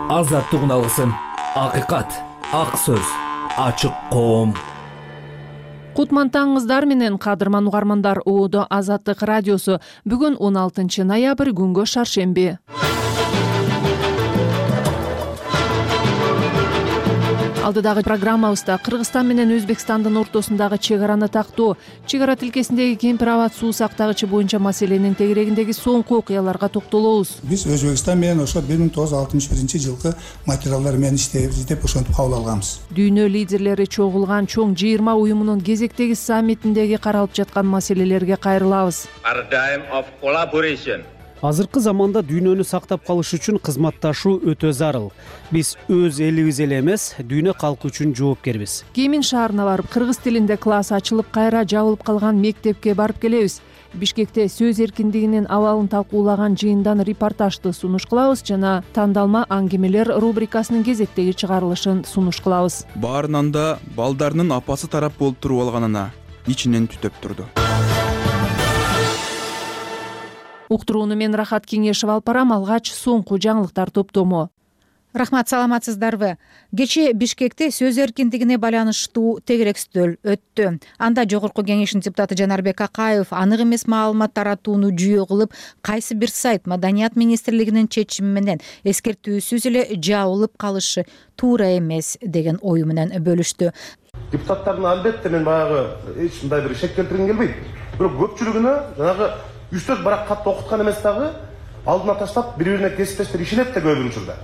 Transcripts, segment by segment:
азаттык алгысың. Акыйкат, ак сөз, ачык коом. Кутман таңыңыздар менен кадырман угармандар. Оодо Азаттык радиосу. Бүгүн 16 ноябрь, күнгө шаршемби. Алдыдагы программабызда Кыргызстан менен Өзбекстандын ортосундагы чек араны тактоо, чек ара тилкесиндеги кемпир абад суу сактагычы боюнча маселенин тегерегиндеги соңку окуяларга токтолобуз. Биз Өзбекстан менен ошо 1961 жылкы материалдар менен иштейбиз деп ошентип кабыл алганбыз. Дүйнө лидерлери чогулган чоң 20 уюмунун кезектеги саммитиндеги каралып жаткан маселелерге кайрылабыз. Азыркы заманда дүйнөнү сактап калыш үчүн кызматташуу өтө зарыл. Биз өз элибиз эле эмес, дүйнө калкы үчүн жоопкербиз. Кемин шаарына барып, кыргыз тилинде класс ачылып, кайра жабылып калган мектепке барып келебиз. Бишкекте сөз эркиндигинин абалын талкуулаган жыйындан репортажды сунуш кылабыз жана тандалма аңгемелер рубрикасынын кезектеги чыгарылышын сунуш кылабыз. Баарынан да балдарынын апасы тарап болуп туруп алганына ичинен түтөп турду. Уктурууну мен Рахат Кеңешев алып барам. Алгач соңку жаңылыктар топтому. Рахмат, саламатсыздарбы? Кечээ Бишкекте сөз эркиндигине байланыштуу тегерек стөл өттү. Анда Жогорку Кеңештин депутаты Жанарбек Акаев анык эмес маалымат таратууну жүйө кылып, кайсы бир сайт Маданият министрлигинин чечими менен эскертүүсүз эле жабылып калышы туура эмес деген ою менен бөлүштү. Депутаттардын албетте мен баягы эч мындай бир шек келтиргим келбейт. Бирок көпчүлүгүнө жанагы 3-4 барак катты окуткан эмес дагы алдына таштап бири-бирине кесиптештер ишенет да көбүнүн учурда.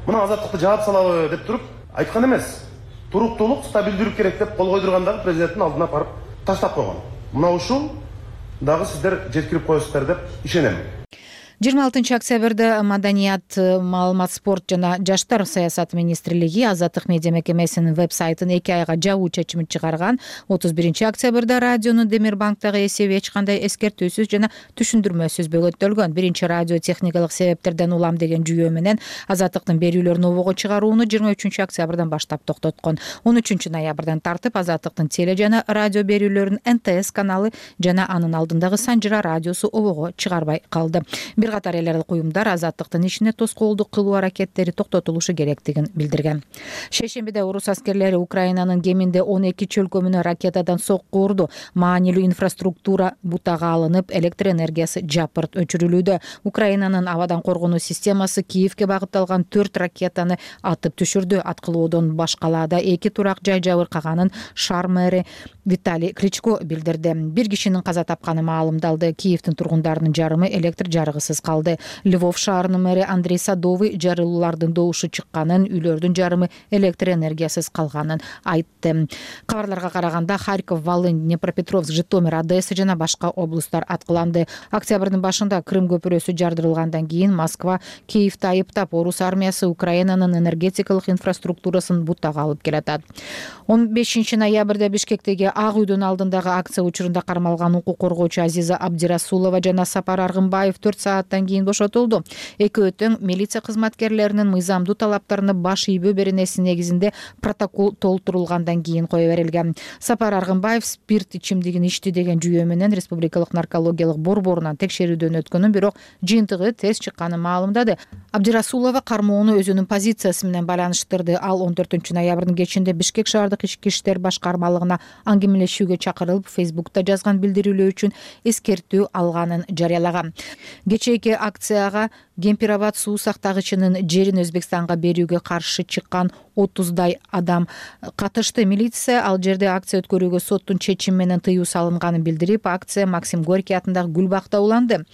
Мына азаттыкты жаап салабы деп туруп айткан эмес. Туруктуулук, стабилдүүлүк керек деп кол койдургандагы президенттин алдына барып таштап койгон. Мына ушул дагы сиздер жеткирип коесуздар деп ишенем. 26 октябрда Маданият, маалымат, спорт жана жаштар саясаты министрлиги Азаттык медиа мекемесинин веб-сайтын 2 айга жабуу чечимин чыгарган. 31 октябрда радионун Демирбанктагы эсеби эч кандай эскертүүсүз жана түшүндүрмөсүз бөгөттөлгөн. Биринчи радио техникалык себептерден улам деген жүйөө менен Азаттыктын берүүлөрүн обого чыгарууну 23 октябрдан баштап токтоткон. 13 ноябрдан тартып Азаттыктын теле жана радио берүүлөрүн НТС каналы жана анын алдындагы Санжыра радиосу обого чыгарбай калды. Бир катар эл аралык уюмдар Азаттыктын ишине тоскоолдук кылуу аракеттери токтотулушу керектигин билдирген. Шейшембиде орус аскерлери Украинанын Кеминде 12 чөлкөмүнө ракетадан сокку урду. Маанилүү инфраструктура бутага алынып, электр энергиясы жапырт өчүрүлүүдө. Украинанын абадан коргонуу системасы Киевке багытталган 4 ракетаны атып түшүрдү. Аткылоодон башкалаада 2 турак жай жабыркаганын шаар мэри Виталий Кличко билдирди. Бир кишинин каза тапканы маалымдалды. Киевдин тургундарынын жарымы электр жарыгысыз калды. Львов шаарынын мэри Андрей Садовый жарылуулардын добушу чыкканын, үйлөрдүн жарымы электр энергиясыз калганын айтты. Кабарларга караганда Харьков, Волынь, Днепропетровск, Житомир, Одесса жана башка облусттар аткыланды. Октябрдын башында Крым көпүрөсү жардырылгандан кийин Москва Киевди айыптап, орус армиясы Украинанын энергетикалык инфраструктурасын бутага алып келатат. 15 ноябрда Бишкектеги Ак үйдүн алдындагы акция учурунда кармалган укук коргоочу Азиза Абдирасулова жана Сапар Аргынбаев 4 сааттан кийин бошотулду. Экөө тең милиция кызматкерлеринин мыйзамдуу талаптарына баш ийбөө беренеси негизинде протокол толтурулгандан кийин кое берилген. Сапар Аргынбаев спирт ичимдигин ичти деген жүйөө менен Республикалык наркологиялык борборунан текшерүүдөн өткөнүн, бирок жыйынтыгы терс чыкканын маалымдады. Абдирасулова кармоону өзүнүн позициясы менен байланыштырды. Ал 14 ноябрдын кечинде Бишкек шаардык ички иштер башкармалыгына аңгемелешүүгө чакырылып, Фейсбукта жазган билдирүүлөө үчүн эскертүү алганын жарыялаган. Кечээки акцияга Кемпир абад суу сактагычынын жерин Өзбекстанга берүүгө каршы чыккан 30дай адам катышты. Милиция ал жерде акция өткөрүүгө соттун чечими менен тыюу салынганын билдирип, акция Максим Горький атындагы Гүл бакта уланды.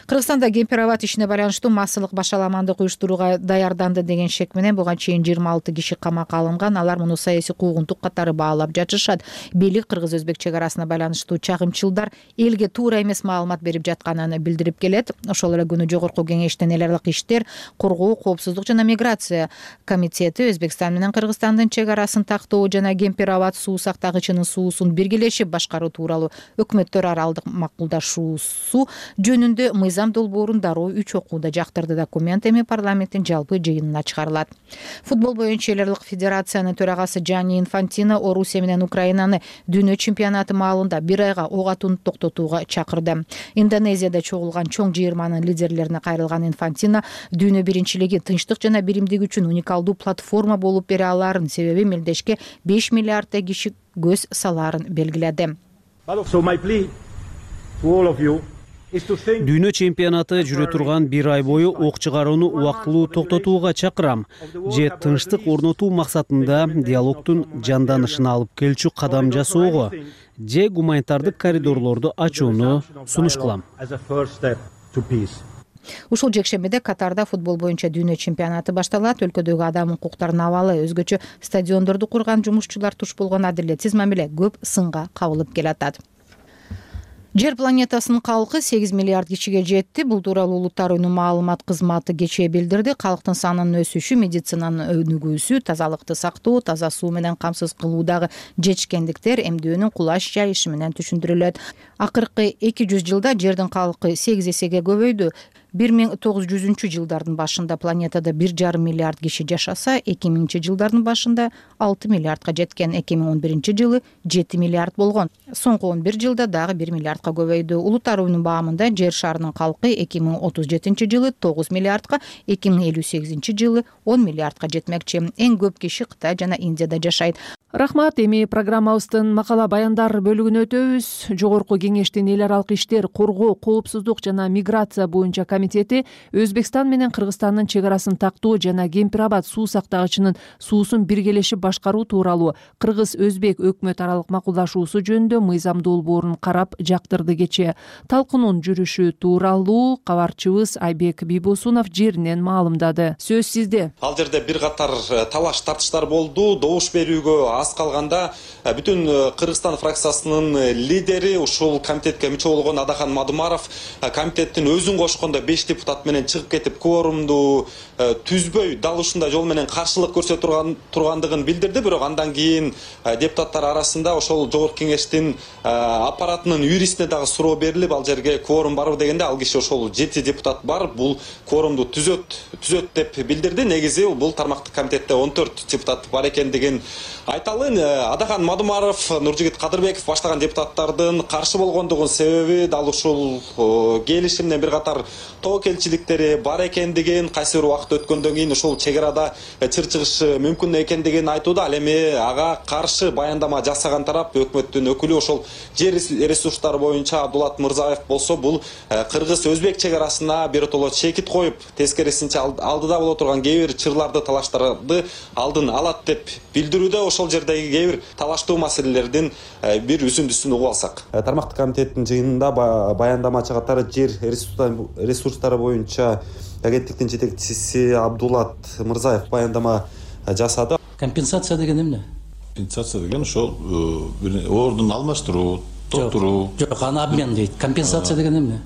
Кыргызстанда Кемпир абад ишине байланыштуу массалык башаламандык уюштурууга даярданды деген шек менен буга чейин 26 киши камакка алынган. Алар муну саясий куугунтук катары баалап жатышат. Бийлик кыргыз-өзбек чек арасына байланыштуу чагымчылдар элге туура эмес маалымат берип жатканын билдирип келет. Ошол эле күнү Жогорку Кеңештин эл аралык иштер, коргоо, коопсуздук жана миграция комитети Өзбекстан Өзбекстан менен Кыргызстандын чек арасын тактоо жана Кемпир абад суу сактагычынын суусун биргелешип башкаруу тууралуу өкмөттөр аралык макулдашуусу жөнүндө мыйзам долбоорун дароо 3 окууда жактырды. Документ эми парламенттин жалпы жыйынына чыгарылат. Футбол боюнча эл аралык федерациянын төрагасы Джанни Инфантино Орусия менен Украинаны дүйнө чемпионаты маалында 1 айга ок атууну токтотууга чакырды. Индонезияда чогулган чоң жыйырманын лидерлерине кайрылган Инфантино дүйнө биринчилиги тынчтык жана биримдик үчүн уникалдуу платформа болуп бере алаарын, себеби мелдешке 5 миллиарддай киши көз салаарын белгиледи. Дүйнө чемпионаты жүрө турган 1 ай бою ок чыгарууну убактылуу токтотууга чакырам. Же тынчтык орнотуу максатында диалогдун жанданышына алып келчү кадам жасоого, же гуманитардык коридорлорду ачууну сунуш кылам. Ушул жекшембиде Катарда футбол боюнча дүйнө чемпионаты башталат. Өлкөдөгү адам укуктарынын абалы, өзгөчө стадиондорду курган жумушчулар туш болгон адилетсиз мамиле көп сынга кабылып келатат. Жер планетасынын калкы 8 миллиард кишиге жетти. Бул тууралуу Улуттар уюмунун маалымат кызматы кечээ билдирди. Калктын санынын өсүшү, медицинанын өнүгүүсү, тазалыкты сактоо, таза суу менен камсыз кылуудагы жетишкендиктер эмдөөнүн кулаш жайышы менен түшүндүрүлөт. Акыркы 200 жылда жердин калкы 8 эсеге көбөйдү. 1900-жылдардын башында планетада 1,5 миллиард киши жашаса, 2000-жылдардын башында 6 миллиардка жеткен, 2011-жылы 7 миллиард болгон. Соңку 11 жылда дагы 1 миллиардка көбөйдү. Улуттар уюмунун баамында жер шарынын калкы 2037-жылы 9 миллиардка, 2058-жылы 10 миллиардка жетмекчи. Эң көп киши Кытай жана Индияда жашайт. Рахмат. Эми программабыздын макала баяндар бөлүгүнө өтөбүз. Жогорку кеңештин эл аралык иштер, коргоо, коопсуздук жана миграция боюнча комитети Өзбекстан менен Кыргызстандын чек арасын тактоо жана Кемпир абад суу сактагычынын суусун биргелешип башкаруу тууралуу кыргыз-өзбек өкмөт аралык макулдашуусу жөнүндө мыйзам долбоорун карап жактырды кечээ. Талкуунун жүрүшү тууралуу кабарчыбыз Айбек Бийбосунов жеринен маалымдады. Сөз сизде. Ал жерде бир катар талаш тартыштар болду. Добуш берүүгө аз калганда бүтүн Кыргызстан фракциясынын лидери ушул комитетке мүчө болгон Адахан Мадумаров комитеттин өзүн кошкондо 5 депутат менен чыгып кетип кворумду түзбөй дал ушундай жол менен каршылык көрсөтүп тургандыгын билдирди. Бирок андан кийин депутаттар арасында ошол жогорку кеңештин аппаратынын юристине дагы суроо берилип, ал жерге кворум барбы дегенде ал киши ошол 7 депутат бар, бул кворумду түзөт деп билдирди. Негизи бул тармактык комитетте 14 депутат бар экендигин айталын. Адахан Мадумаров, Нуржигит Кадырбеков баштаган депутаттардын каршы болгондугун себеби дал ушул келишимден бир катар тобокелчиликтери бар экендигин, кайсы бир убакыт өткөндөн кийин ушул чек арада чыр чыгышы мүмкүн экендигин айтууда. Ал эми ага каршы баяндама жасаган тарап өкмөттүн өкүлү ошол жер ресурстары боюнча Абдулат Мырзаев болсо, бул кыргыз-өзбек чек арасына биротоло чекит коюп, тескерисинче алдыда боло турган кээ бир чырларды, талаштарды алдын алат деп билдирүүдө. Ошол жердеги кээ бир талаштуу маселелердин бир үзүндүсүн угуп алсак. Тармактык комитеттин жыйынында баяндамачы катары жер ресурстары боюнча агенттиктин жетекчиси Абдулат Мырзаев баяндама жасады. Компенсация деген эмне? Компенсация деген ошол ордун алмаштыруу, толтуруу. Жок, аны обмен дейт. Компенсация деген эмне?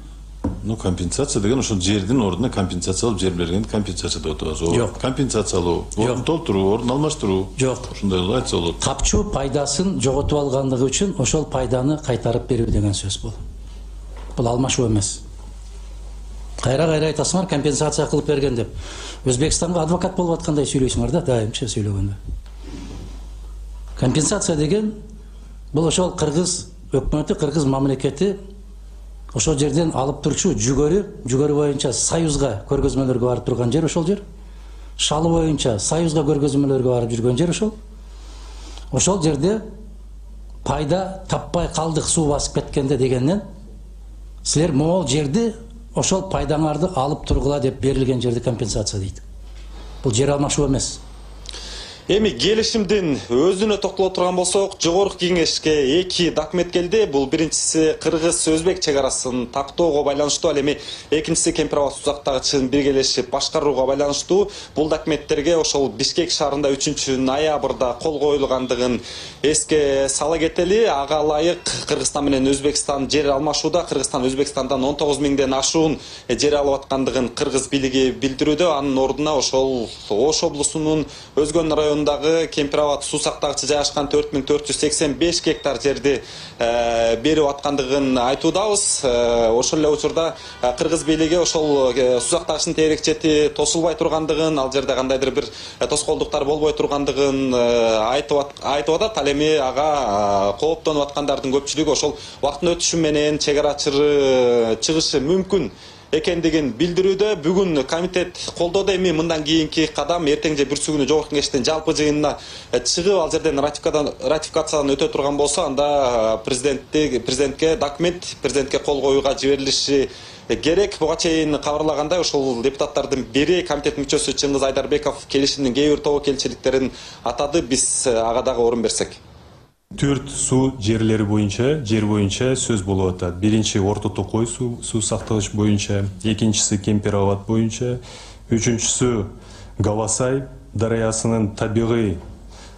Компенсация деген ошол жердин ордуна компенсация алып, жер бергенди компенсация деп атабыз. Жок. Компенсация алуу, ордун толтуруу, ордун алмаштыруу. Жок. Ушундай айтса болот. Капчу пайдасын жоготуп алгандыгы үчүн ошол пайданы кайтарып берүү деген сөз бул. Бул алмашуу эмес. Кайра айтасыңар, компенсация кылып берген деп. Өзбекстанга адвокат болуп аткандай сүйлөйсүңөр да, дайымча сүйлөгөндө. Компенсация деген бул ошол кыргыз өкмөтү, кыргыз мамлекети ошол жерден алып турчу жүгөрү боюнча Союзга көргөзмөлөргө барып турган жер ошол жер. Шалы боюнча Союзга көргөзмөлөргө барып жүргөн жер ошол. Ошол жерде пайда таппай калдык суу басып кеткенде дегенден силер могул жерди ошол пайдаңарды алып тургула деп берилген жерди компенсация дейт. Бул жер алмашуу эмес. Эми келишимдин өзүнө токтоло турган болсок, жогорку кеңешке 2 документ келди. Бул биринчиси кыргыз-өзбек чек арасын тактоого байланыштуу, ал эми экинчиси Кемпир абад суу сактагычын биргелешип башкарууга байланыштуу. Бул документтерге ошол Бишкек шаарында 3-ноябрда кол коюлгандыгын эске сала кетели. Ага ылайык Кыргызстан менен Өзбекстан жер алмашууда. Кыргызстан Өзбекстандан 19 миңден ашуун жер алып аткандыгын кыргыз бийлиги билдирүүдө. Анын ордуна ошол Ош облусунун Өзгөн районунун районундагы Кемпир Абад суу сактагычы жайгашкан 4485 гектар жерди берип аткандыгын айтуудабыз. Ошол эле учурда кыргыз бийлиги ошол суу сактагычтын тегерек чети тосулбай тургандыгын, ал жерде кандайдыр бир тоскоолдуктар болбой тургандыгын айтып атат. Ал эми ага кооптонуп аткандардын көпчүлүгү ошол убакыттын өтүшү менен чек ара чыгышы мүмкүн экендигин билдирүүдө. Бүгүн комитет колдоду. Эми мындан кийинки кадам эртең же бүрсү күнү жогорку кеңештин жалпы жыйынына чыгып, ал жерден ратификациядан өтө турган болсо, анда президентке документ президентке кол коюуга жиберилиши керек. Буга чейин кабарлагандай, ошол депутаттардын бири комитет мүчөсү Чыңгыз Айдарбеков келишимдин кээ бир тобокелчиликтерин атады. Биз ага дагы орун берсек. 4 суу жерлери боюнча, жер боюнча сөз болуп атат. Биринчи Орто Токой суу сактагыч боюнча, экинчиси Кемпир Абад боюнча, үчүнчүсү Гавасай дарыясынын табигый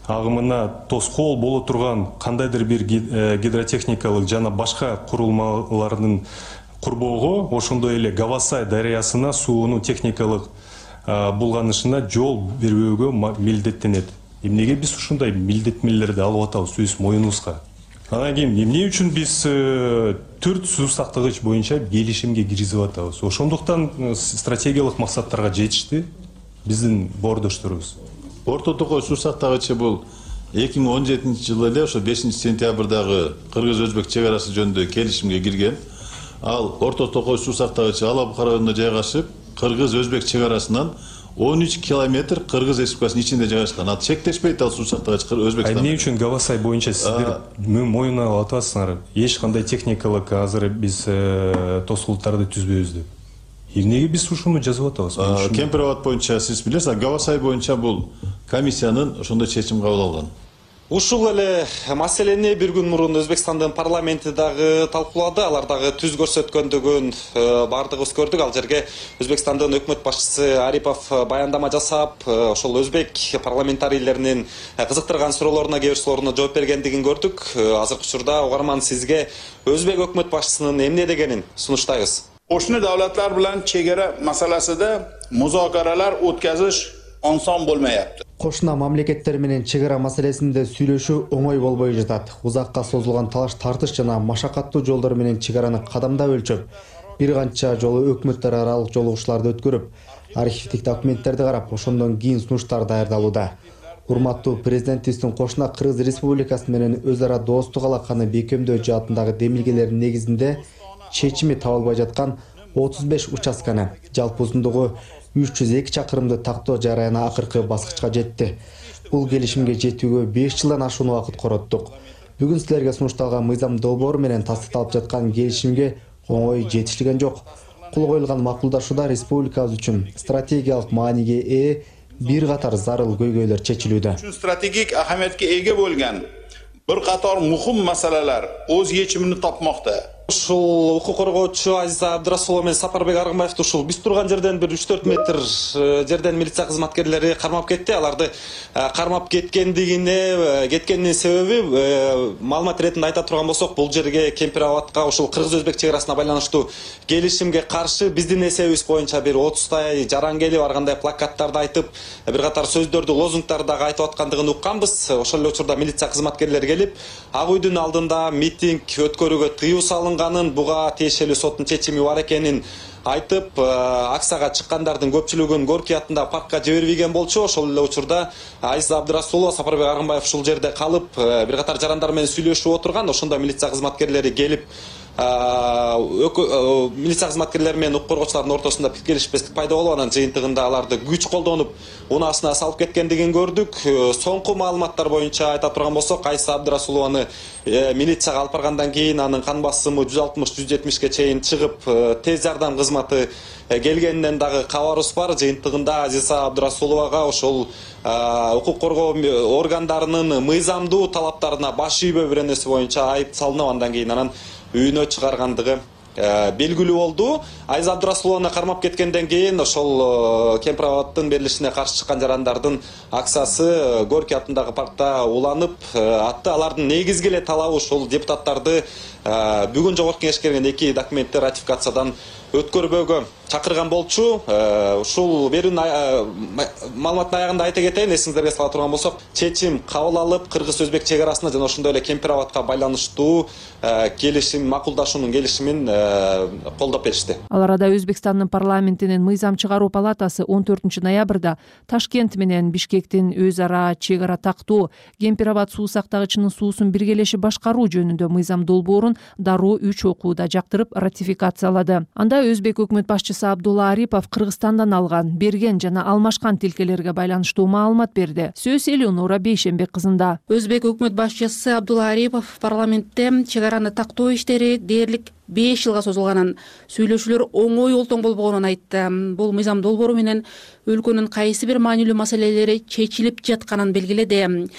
агымына тоскоол боло турган кандайдыр бир гидротехникалык жана башка курулмалардын курбоого, ошондой эле Гавасай дарыясына суунун техникалык булганышына жол бербөөгө милдеттенет. Эмнеге биз ушундай милдеттенмелерди алып атабыз өз моюнубузга? Анан кийин эмне үчүн биз 4 суу сактагыч боюнча келишимге киргизип атабыз? Ошондуктан стратегиялык максаттарга жетишти биздин боордошторубуз. Орто Токой суу сактагычы бул 2017-жылы эле ошо 5-сентябрдагы кыргыз-өзбек чек арасы жөнүндө келишимге кирген. Ал Орто Токой суу сактагычы Алабука районунда жайгашып, кыргыз-өзбек чек арасынан 13 километр Кыргыз Республикасынын ичинде жайгашкан. Ал чектешпейт, ал суу сактагыч Өзбекстан. Эмне үчүн Гавасай боюнча сиздер моюнуна алып атасыңар? Эч кандай техникалык азыр биз тоскоолдуктарды түзбөйбүз деп. Эмнеге биз ушуну жазып атабыз? Кемпир Абад боюнча сиз билесиз, Гавасай боюнча бул комиссиянын ошондой чечим кабыл алган. Ушул эле маселени бир күн мурун Өзбекстандын парламенти дагы талкуулады. Алар дагы түз көрсөткөндүгүн бардыгыбыз көрдүк. Ал жерге Өзбекстандын өкмөт башчысы Арипов баяндама жасап, ошол өзбек парламентарийлеринин кызыктырган суроолоруна, кээ бир суроолоруна жооп бергендигин көрдүк. Азыркы учурда угарман сизге өзбек өкмөт башчысынын эмне дегенин сунуштайбыз. Qo'shni davlatlar bilan chegara masalasida muzokaralar o'tkazish oson bo'lmayapti. Кошуна мамлекеттер менен чек ара маселесинде сүйлөшүү оңой болбой жатат. Узакка созулган талаш тартыш жана машакаттуу жолдор менен чек араны кадамдап өлчөп, бир канча жолу өкмөттөр аралык жолугушларды өткөрүп, архивдик документтерди карап, ошондон кийин сунуштар даярдалууда. Урматтуу президентибиздин кошуна Кыргыз Республикасы менен өз ара достук алаканы бекемдөө жаатындагы демилгелердин негизинде чечими табылбай жаткан 35 участканы, жалпы узундугу 302 чакырымды тактоо жараяна акыркы баскычка жетти. Бул келишимге жетүүгө 5 жылдан ашуун убакыт короттук. Бүгүн силерге сунушталган мыйзам долбоору менен тастыкталып жаткан келишимге оңой жетишилген жок. Кол коюлган макулдашууда республикабыз үчүн стратегиялык мааниге ээ бир катар зарыл көйгөйлөр чечилүүдө. Стратегик аhamiyatga ega bo'lgan bir qator muhim masalalar o'z yechimini topmoqda. Ушул укук коргоочу Азиза Абдырасулова менен Сапарбек Аргынбаевди ушул биз турган жерден бир 3-4 метр жерден милиция кызматкерлери кармап кетти. Аларды кармап кеткенинин себеби маалымат иретинде айта турган болсок, бул жерге Кемпир Абадка ушул кыргыз-өзбек чек арасына байланыштуу келишимге каршы биздин эсебибиз боюнча бир 30 жаран келип, ар кандай плакаттарды айтып, бир катар сөздөрдү, лозунгдарды дагы айтып аткандыгын укканбыз. Ошол эле учурда милиция кызматкерлери келип, ак үйдүн алдында митинг өткөрүүгө тыюу салынган, буга тиешелүү соттун чечими бар экенин айтып, акцияга чыккандардын көпчүлүгүн Горький атындагы паркка жибербеген болчу. Ошол эле учурда Азиза Абдырасулова, Сапарбек Аргынбаев ушул жерде калып, бир катар жарандар менен сүйлөшүп отурган. Ошондо милиция кызматкерлери келип, милиция кызматкерлери менен укук коргоочулардын ортосунда пикир келишпестик пайда болуп, анан жыйынтыгында аларды күч колдонуп унаасына салып кеткендигин көрдүк. Соңку маалыматтар боюнча айта турган болсок, Азиза Абдырасулованы милицияга алып баргандан кийин анын кан басымы 160-170ге чейин чыгып, тез жардам кызматы келгенинен дагы кабарыбыз бар. Жыйынтыгында Азиза Абдырасуловага ошол укук коргоо органдарынын мыйзамдуу талаптарына баш ийбөө бир нерсе боюнча айып салынып, андан кийин анан үйүнө чыгаргандыгы белгилүү болду. Азиза Абдырасулованы кармап кеткенден кийин ошол Кемпир Абадтын берилишине каршы чыккан жарандардын акциясы Горький атындагы паркта уланып атты. Алардын негизги эле талабы ушул депутаттарды бүгүн жогорку кеңешке келген 2 документти ратификациядан өткөрбөөгө чакырган болчу. Ушул берүүнүн маалыматтын аягында айта кетейин, эсиңиздерге сала турган болсок, чечим кабыл алып, кыргыз-өзбек чек арасында жана ошондой эле Кемпир абадка байланыштуу келишим, макулдашуунун келишимин колдоп беришти. Ал арада Өзбекстандын парламентинин мыйзам чыгаруу палатасы 14 ноябрда Ташкент менен Бишкектин өз ара чек ара тактоо Кемпир абад суу сактагычынын суусун биргелеши башкаруу жөнүндө мыйзам долбоорун дароо 3 окууда жактырып ратификациялады. Анда Өзбек өкмөт башчысы Абдулла Арипов Кыргызстандан алган, берген жана алмашкан тилкелерге байланыштуу маалымат берди. Сөз Элеонора Бейшенбек кызында. Өзбек өкмөт башчысы Абдулла Арипов парламентте чек араны тактоо иштери дээрлик 5 жылга созулганын, сүйлөшүүлөр оңой олтоң болбогонун айтты. Бул мыйзам долбоору менен өлкөнүн кайсы бир маанилүү маселелери чечилип жатканын белгиледи.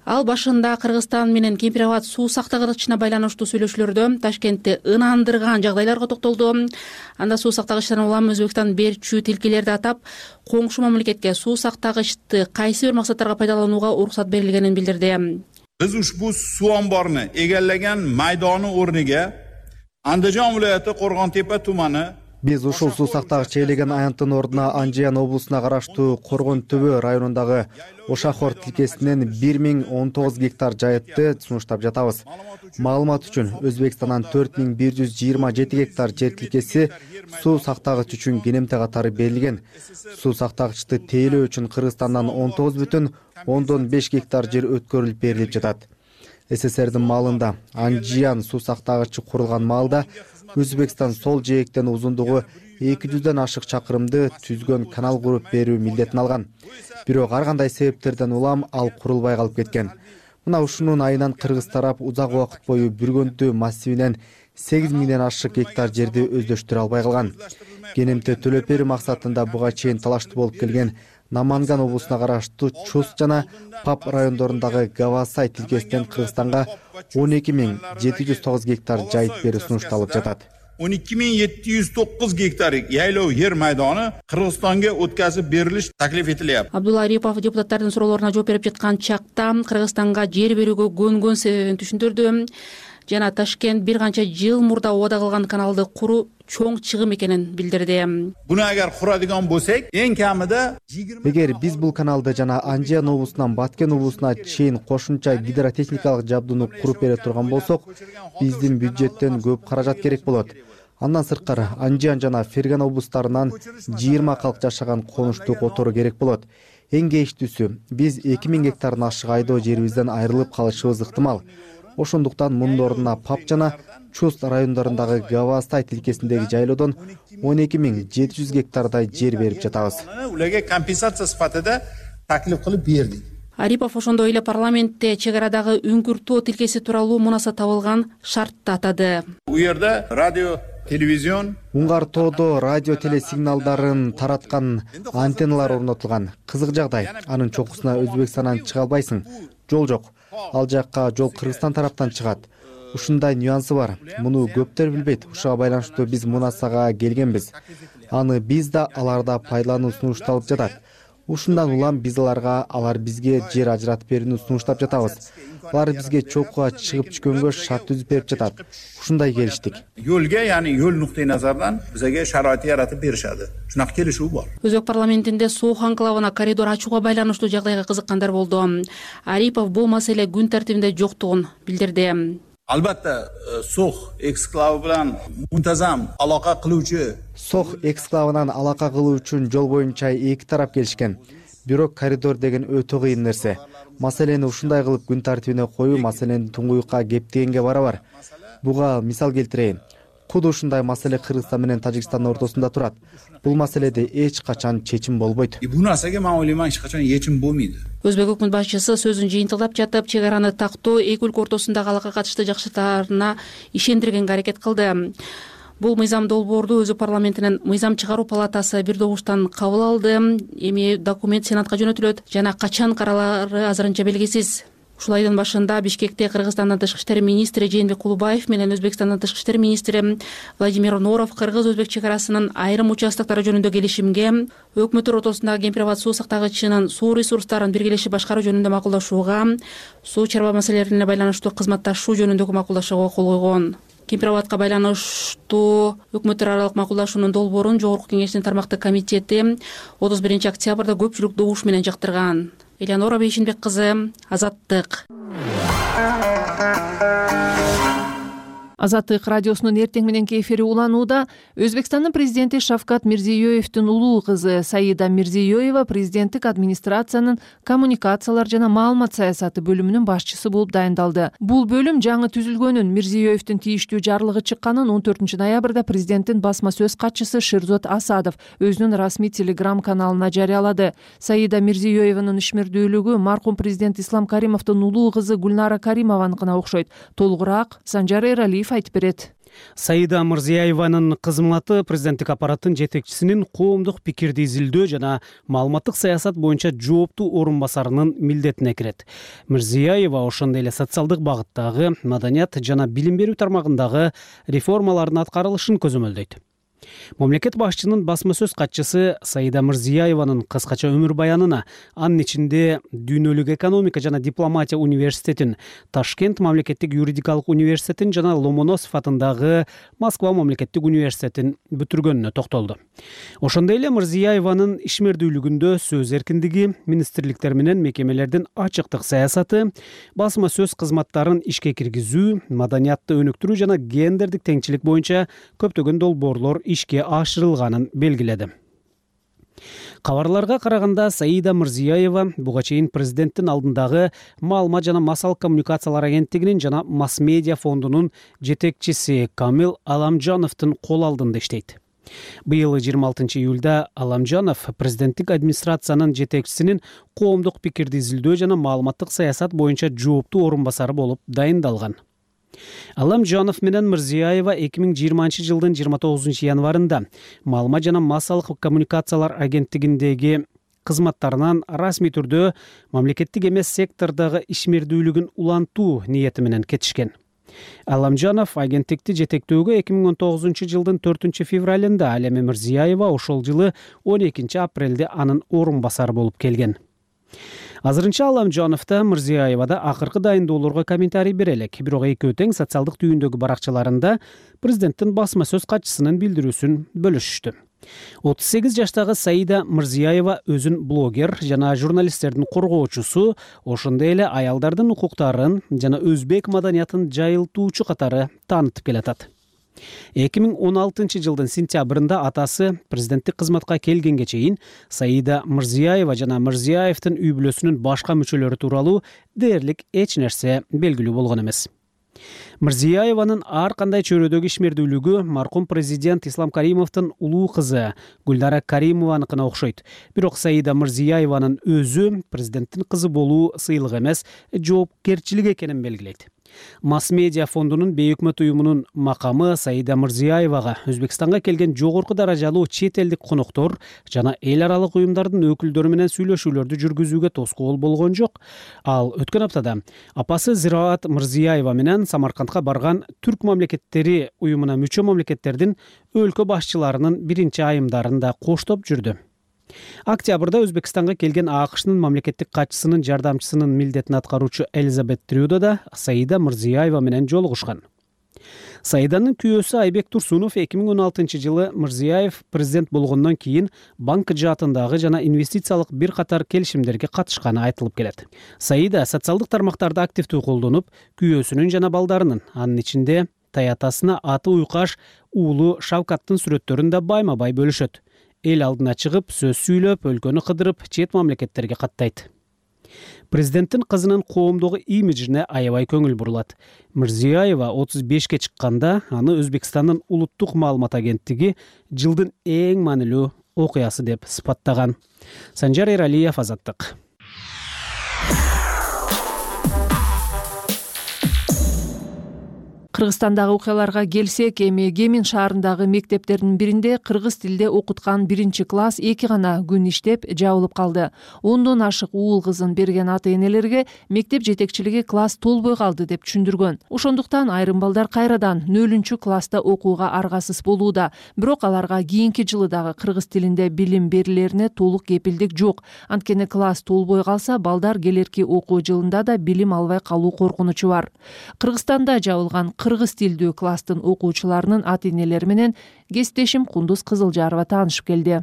Ал башында Кыргызстан менен Кемпир абад суу сактагычына байланыштуу сүйлөшүүлөрдө Ташкентти ынандырган жагдайларга токтолду. Анда суу сактагычтан улам Өзбекстан берчү тилкелерди атап, коңшу мамлекетке суу сактагычты кайсы бир максаттарга пайдаланууга уруксат берилгенин билдирди. Biz ushbu suv omborini egallagan maydoni o'rniga Andijon viloyati Qo'rg'ontepa tumani Биз ушул суу сактагыч ээлеген аянттын ордуна Анжиян облусуна караштуу Коргон-Төбө районундагы Ошахор тилкесинен 1019 гектар жайытты сунуштап жатабыз. Маалымат үчүн Өзбекстандан 4127 гектар жер тилкеси суу сактагыч үчүн кенемте катары берилген. Суу сактагычты тейлөө үчүн Кыргызстандан 19,5 гектар жер өткөрүлүп берилип жатат. СССРдин маалында Анжиян суу сактагычы курулган маалда Өзбекстан сол жээктен узундугу 200ден ашык чакырымды түзгөн канал куруп берүү милдетин алган. Бирок ар кандай себептерден улам ал курулбай калып кеткен. Мына ушунун айынан кыргыз тарап узак убакыт бою Бүргөндү массивинен 8000ден ашык гектар жерди өздөштүрө албай калган. Кенемте төлөп берүү максатында буга чейин талаштуу болуп келген Наманган облусуна караштуу Чус жана Пап райондорундагы Гавасай тилкесинен Кыргызстанга 12709 гектар жайыт берүү сунушталып жатат. 12709 гектар яйлоо жер майдону Кыргызстанга өткөзүп берилиш таклиф этилет. Абдулла Арипов депутаттардын суроолоруна жооп берип жаткан чакта Кыргызстанга жер берүүгө көнгөн себебин түшүндүрдү. Жана Ташкент бир канча жыл мурда убада кылган каналды куруу чоң чыгым экенин билдирди. Буну агар курадыган болсок, эң камida Эгер биз бул каналды жана Анжиян облусунан Баткен облусуна чейин кошумча гидротехникалык жабдууну куруп бере турган болсок, биздин бюджеттен көп каражат керек болот. Андан сырткары Анжиян жана Ферган облустарынан 20 калк жашаган конуштуу котору керек болот. Эң кейиштүүсү, биз 2000 гектардан ашык айдоо жерибизден айрылып калышыбыз ыктымал. Ошондуктан мунун ордуна Пап жана Чуст райондорундагы Гавастай тилкесиндеги жайлоодон 12700 гектардай жер берип жатабыз. Уларга компенсация сыпатыда таклиф кылып бердик. Арипов ошондой эле парламентте чек арадагы үңкүртөө тилкеси тууралуу мунаса табылган шартты атады. У жерде радио, телевизион, Уңгартоодо радио телесигналдарын тараткан антенналар орнотулган. Кызык жагдай, анын чокусуна Өзбекстандан чыга албайсың. Жол жок. Ал жакка жол Кыргызстан тараптан чыгат. Ушундай нюансы бар. Муну көптөр билбейт. Ушуга байланыштуу биз мунасага келгенбиз. Аны биз да аларда пайдалануу сунушталып жатат. Ушундан улам биз алар бизге жер ажыратып берүүнү сунуштап жатабыз. Алар бизге чокуга чыгып түшкөнгө шарт түзүп берип жатат. Ушундай келиштик. Yo'lga, ya'ni yo'l nuqtai nazardan bizga sharoit yaratib berishadi. Shunaqa kelishuv bor. Өзбек парламентинде суук анклавына коридор ачууга байланыштуу жагдайга кызыккандар болду. Арипов бул маселе күн тартибинде жоктугун билдирди. Albatta, So'x eksklavi bilan muntazam aloqa qiluvchi So'x eksклавынан алака кылуу үчүн жол боюнча эки тарап келишкен. Бирок коридор деген өтө кыйын нерсе. Маселени ушундай кылып күн тартибине коюу маселени туңгуюкка кептегенге барабар. Буга мисал келтирейин. Куду ушундай маселе Кыргызстан менен Тажикстандын ортосунда турат. Бул маселеде эч качан чечим болбойт. Бул нерсеге мен ойлоймун эч качан чечим болбойт. Өзбек өкмөт башчысы сөзүн жыйынтыктап жатып, чек араны тактоо эки өлкө ортосундагы алакага катышты жакшылыктарына ишендиргенге аракет кылды. Бул мыйзам долбоорду Өзбек парламентинин мыйзам чыгаруу палатасы бир добуштан кабыл алды. Эми документ Сенатка жөнөтүлөт жана качан каралары азырынча белгисиз. Ушул айдын башында Бишкекте Кыргызстандын тышкы иштер министри Жээнбек Кулубаев менен Өзбекстандын тышкы иштер министри Владимир Норов кыргыз-өзбек чек арасынын айрым участоктору жөнүндө келишимге, өкмөттөр ортосундагы Кемпир абад суу сактагычынын суу ресурстарын биргелешип башкаруу жөнүндө макулдашууга, суу чарба маселелерине байланыштуу кызматташуу жөнүндөгү макулдашууга кол койгон. Кемпир-Абадка байланыштуу өкмөттөр аралык макулдашуунун долбоорун Жогорку Кеңештин тармактык комитети 31 октябрда көпчүлүк добуш менен жактырган. Элеонора Бейшинбек кызы, Азаттык. Азаттык радиосунун эртең мененки эфири уланууда. Өзбекстандын президенти Шавкат Мирзиёевдин улуу кызы Саида Мирзиёева президенттик администрациянын коммуникациялар жана маалымат саясаты бөлүмүнүн башчысы болуп дайындалды. Бул бөлүм жаңы түзүлгөнүн, Мирзиёевдин тийиштүү жарлыгы чыкканын 14 ноябрда президенттин басма сөз катчысы Шерзот Асадов өзүнүн расмий телеграм каналына жарыялады. Саида Мирзиёеванын ишмердүүлүгү маркум президент Ислам Каримовдун улуу кызы Гүлнара Каримованыкына окшойт. Толугураак Санжар Эралиев айтып берет. Саида Мирзиёеванын кызматы президенттик аппараттын жетекчисинин коомдук пикирди изилдөө жана маалыматтык саясат боюнча жооптуу орун басарынын милдетине кирет. Мирзиёева ошондой эле социалдык багыттагы, маданият жана билим берүү тармагындагы реформалардын аткарылышын көзөмөлдөйт. Мамлекет башчынын басма сөз катчысы Саида Мирзиёеванын кыскача өмүр баянына, анын ичинде Дүйнөлүк экономика жана дипломатия университетин, Ташкент мамлекеттик юридикалык университетин жана Ломоносов атындагы Москва мамлекеттик университетин бүтүргөнүнө токтолду. Ошондой эле Мирзиёеванын ишмердүүлүгүндө сөз эркиндиги, министрликтер менен мекемелердин ачыктык саясаты, басма сөз кызматтарын ишке киргизүү, маданиятты өнүктүрүү жана гендердик теңчилик боюнча көптөгөн долбоорлор ишке ашырылганын белгиледи. Кабарларга караганда Саида Мирзиёева буга чейин президенттин алдындагы маалымат жана массалык коммуникациялар агенттигинин жана масс-медиа фондунун жетекчиси Камил Аламжановдун кол алдында иштейт. Быйыл 26 июлда Аламжанов президенттик администрациянын жетекчисинин коомдук пикирди изилдөө жана маалыматтык саясат боюнча жооптуу орун басары болуп дайындалган. Аламжанов менен Мирзиёева 2020 жылдын 29 январында маалымат жана массалык коммуникациялар агенттигиндеги кызматтарынан расмий түрдө мамлекеттик эмес сектордогу ишмердүүлүгүн улантуу ниети менен кетишкен. Аламжанов агенттикти жетектөөгө 2019 жылдын 4 февралында, ал эми Мирзиёева ошол жылы 12 апрелде анын орун басары болуп келген. Азырынча Аламжановда Мирзиёевада акыркы дайындоолорго комментарий бере элек, бирок экөө тең социалдык түйүндөгү баракчаларында президенттин басма сөз катчысынын билдирүүсүн бөлүшүштү. 38 жаштагы Саида Мирзиёева өзүн блогер жана журналисттердин коргоочусу, ошондой эле аялдардын укуктарын жана өзбек маданиятын жайылтуучу катары таанытып келатат. 2016 жылдын сентябрында атасы президенттик кызматка келгенге чейин Саида Мирзиёева жана Мирзиёевдин үй бүлөсүнүн башка мүчөлөрү тууралуу дээрлик эч нерсе белгилүү болгон эмес. Мирзиёеванын ар кандай чөйрөдөгү ишмердүүлүгү маркум президент Ислам Каримовдун улуу кызы Гүлнара Каримованыкына окшойт. Бирок Саида Мирзиёеванын өзү президенттин кызы болуу сыйлык эмес, жоопкерчилик экенин белгилейт. Масс-медиа фондунун бейөкмөт уюмунун макамы Саида Мирзиёевага Өзбекстанга келген жогорку даражалуу чет элдик коноктор жана эл аралык уюмдардын өкүлдөрү менен сүйлөшүүлөрдү жүргүзүүгө тоскоол болгон жок. Ал өткөн аптада апасы Зираат Мирзиёева менен Самаркандка барган түрк мамлекеттери уюмуна мүчө мамлекеттердин өлкө башчыларынын биринчи айымдарын да коштоп жүрдү. Октябрда Өзбекстанга келген АКШнын мамлекеттик катчысынын жардамчысынын милдетин аткаруучу Элизабет Трюдо да Саида Мирзиёева менен жолугушкан. Саиданын күйөөсү Айбек Турсунов 2016 жылы Мирзиёев президент болгондон кийин банк жаатындагы жана инвестициялык бир катар келишимдерге катышканы айтылып келет. Саида социалдык тармактарды активдүү колдонуп, күйөөсүнүн жана балдарынын, анын ичинде таятасына аты уйкаш уулу Шавкаттын сүрөттөрүн да байма-бай бөлүшөт. Эл алдына чыгып, сөз сүйлөп, өлкөнү кыдырып, чет мамлекеттерге каттайт. Президенттин кызынын коомдогу имиджине аябай көңүл бурулат. Мирзиёева 35-ке чыкканда аны Өзбекстандын улуттук маалымат агенттиги жылдын эң маанилүү окуясы деп сыпаттаган. Санжар Эралиев, Азаттык. Кыргызстандагы окуяларга келсек, эми Кемин шаарындагы мектептердин биринде кыргыз тилде окуткан 1-класс 2 гана күн иштеп жабылып калды. 10дон ашык уул кызын берген ата-энелерге мектеп жетекчилиги класс толбой калды деп түшүндүргөн. Ошондуктан айрым балдар кайрадан 0-класста окууга аргасыз болууда. Бирок аларга кийинки жылы дагы кыргыз тилинде билим берилерине толук кепилдик жок. Анткени класс толбой калса, балдар келерки окуу жылында да билим албай калуу коркунучу бар. Кыргызстанда жабылган кыргыз тилдүү класстын окуучуларынын ата энелери менен кесиптешим Кундуз Кызылжарова таанышып келди.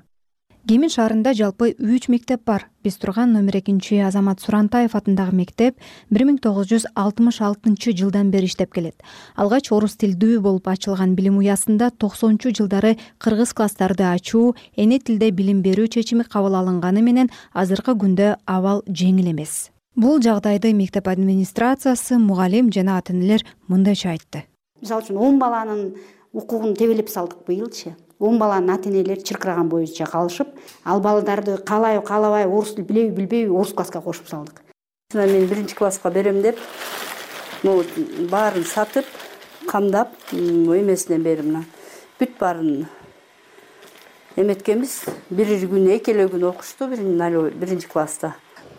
Кемин шаарында жалпы 3 мектеп бар. Биз турган номер 2 Азамат Сурантаев атындагы мектеп 1966 жылдан бери иштеп келет. Алгач орус тилдүү болуп ачылган билим уясында 90-жылдары кыргыз класстарды ачуу, эне тилде билим берүү чечими кабыл алынганы менен азыркы күндө абал жеңил эмес. Бул жагдайды мектеп администрациясы, мугалим жана ата энелер мындайча айтты. Мисалы үчүн 10 баланын укугун тебелеп салдык быйылчы. 10 баланын ата энелери чыркыраган боюнча калышып, ал балдарды каалабай орус тил билбейби орус класска кошуп салдык. Мен 1 класска берем деп, баарын сатып, камдап, эмесинен берип бүт баарын эметкенбиз. Бир күн, экеле күн окушту 1 класста.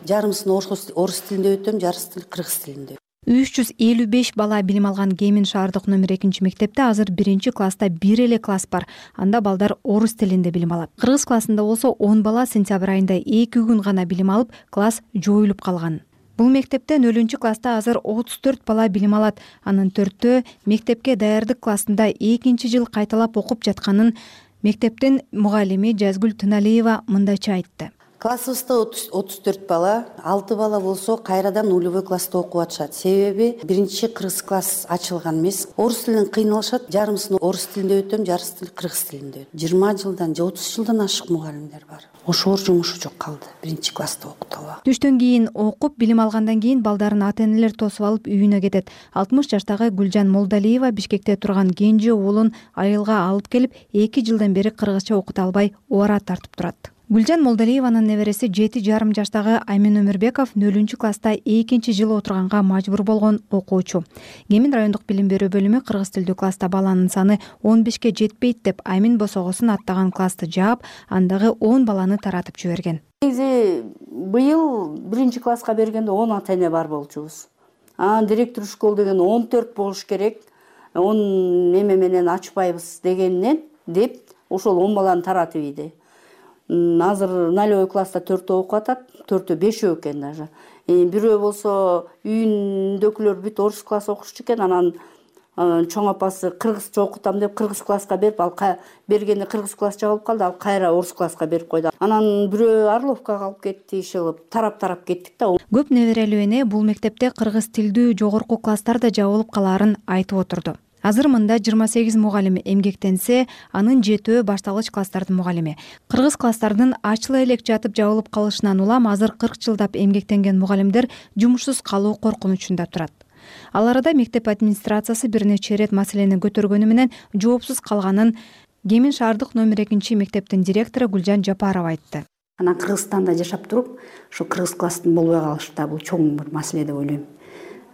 Жарымысын орус тилинде өтөм, жарысын кыргыз тилинде. 355 бала билим алган Кемин шаардык номер 2 мектепте азыр 1 класста бир эле класс бар. Анда балдар орус тилинде билим алат. Кыргыз классында болсо 10 бала сентябрь айында 2 күн гана билим алып, класс жоюлуп калган. Бул мектептен 0 класста азыр 34 бала билим алат. Анын 4-төө мектепке даярдык классында 2 жыл кайталап окуп жатканын мектептин мугалими Жазгүл Тыналиева мындайча айтты. Классыбызда 34 бала, 6 бала болсо кайрадан нулевой класста окуп атышат. Себеби 1 кыргыз класс ачылган эмес. Орус тилинен кыйналышат, жарымысын орус тилинде өтөм, жарысын кыргыз тилинде. 20 жылдан же 30 жылдан ашык мугалимдер бар. Ошоор жумушу жок калды. 1 класста окутуп. Түштөн кийин окуп, билим алгандан кийин балдарын ата энелер тосуп алып үйүнө кетет. 60 жаштагы Гүлжан Молдалиева Бишкекте турган кенже уулун айылга алып келип, 2 жылдан бери кыргызча окута албай оора тартып турат. Гүлжан Молдалиеванын небереси 7,5 жаштагы Аймин Өмүрбеков 0 класста 2 жыл отурганга мажбур болгон окуучу. Кемин райондук билим берүү бөлүмү кыргыз тилдүү класста баланын саны 15ке жетпейт деп Аймин босогосун аттаган классты жаап, андагы 10 баланы таратып жиберген. Негизи быйыл 1 класска бергенде 10 ата эне бар болчубуз. Директор школ деген 14 болуш керек. 10 неме менен ачпайбыз дегеннен деп ошол 10 баланы таратып ийди. Азыр 0 класста 4 окуп атат, 4 5 экен даже. Бирөө болсо үйүндөгүлөр бүт орус класс окушчу экен, анан чоң апасы кыргызча окутам деп кыргыз класска берип, ал бергенде кыргыз классча болуп калды, ал кайра орус класска берип койду. Анан бирөө Орловкага алып кетти, иш кылып, тарап кеттик да. Көп неберелүү эне бул мектепте кыргыз тилдүү жогорку класстар да жабылып калаарын айтып отурду. Азыр мында 28 мугалим эмгектенсе, анын 7-өө башталгыч класстардын мугалими. Кыргыз класстардын ачыла элек жатып жабылып калышынан улам азыр 40 жылдап эмгектенген мугалимдер жумушсуз калуу коркунучунда турат. Ал арада мектеп администрациясы бир нече ирет маселени көтөргөнү менен жоопсуз калганын Кемин шаардык номер 2 мектептин директору Гүлжан Жапарова айтты. Анан Кыргызстанда жашап туруп, ушу кыргыз класстын болбой калышы да бул чоң бир маселе деп ойлойм.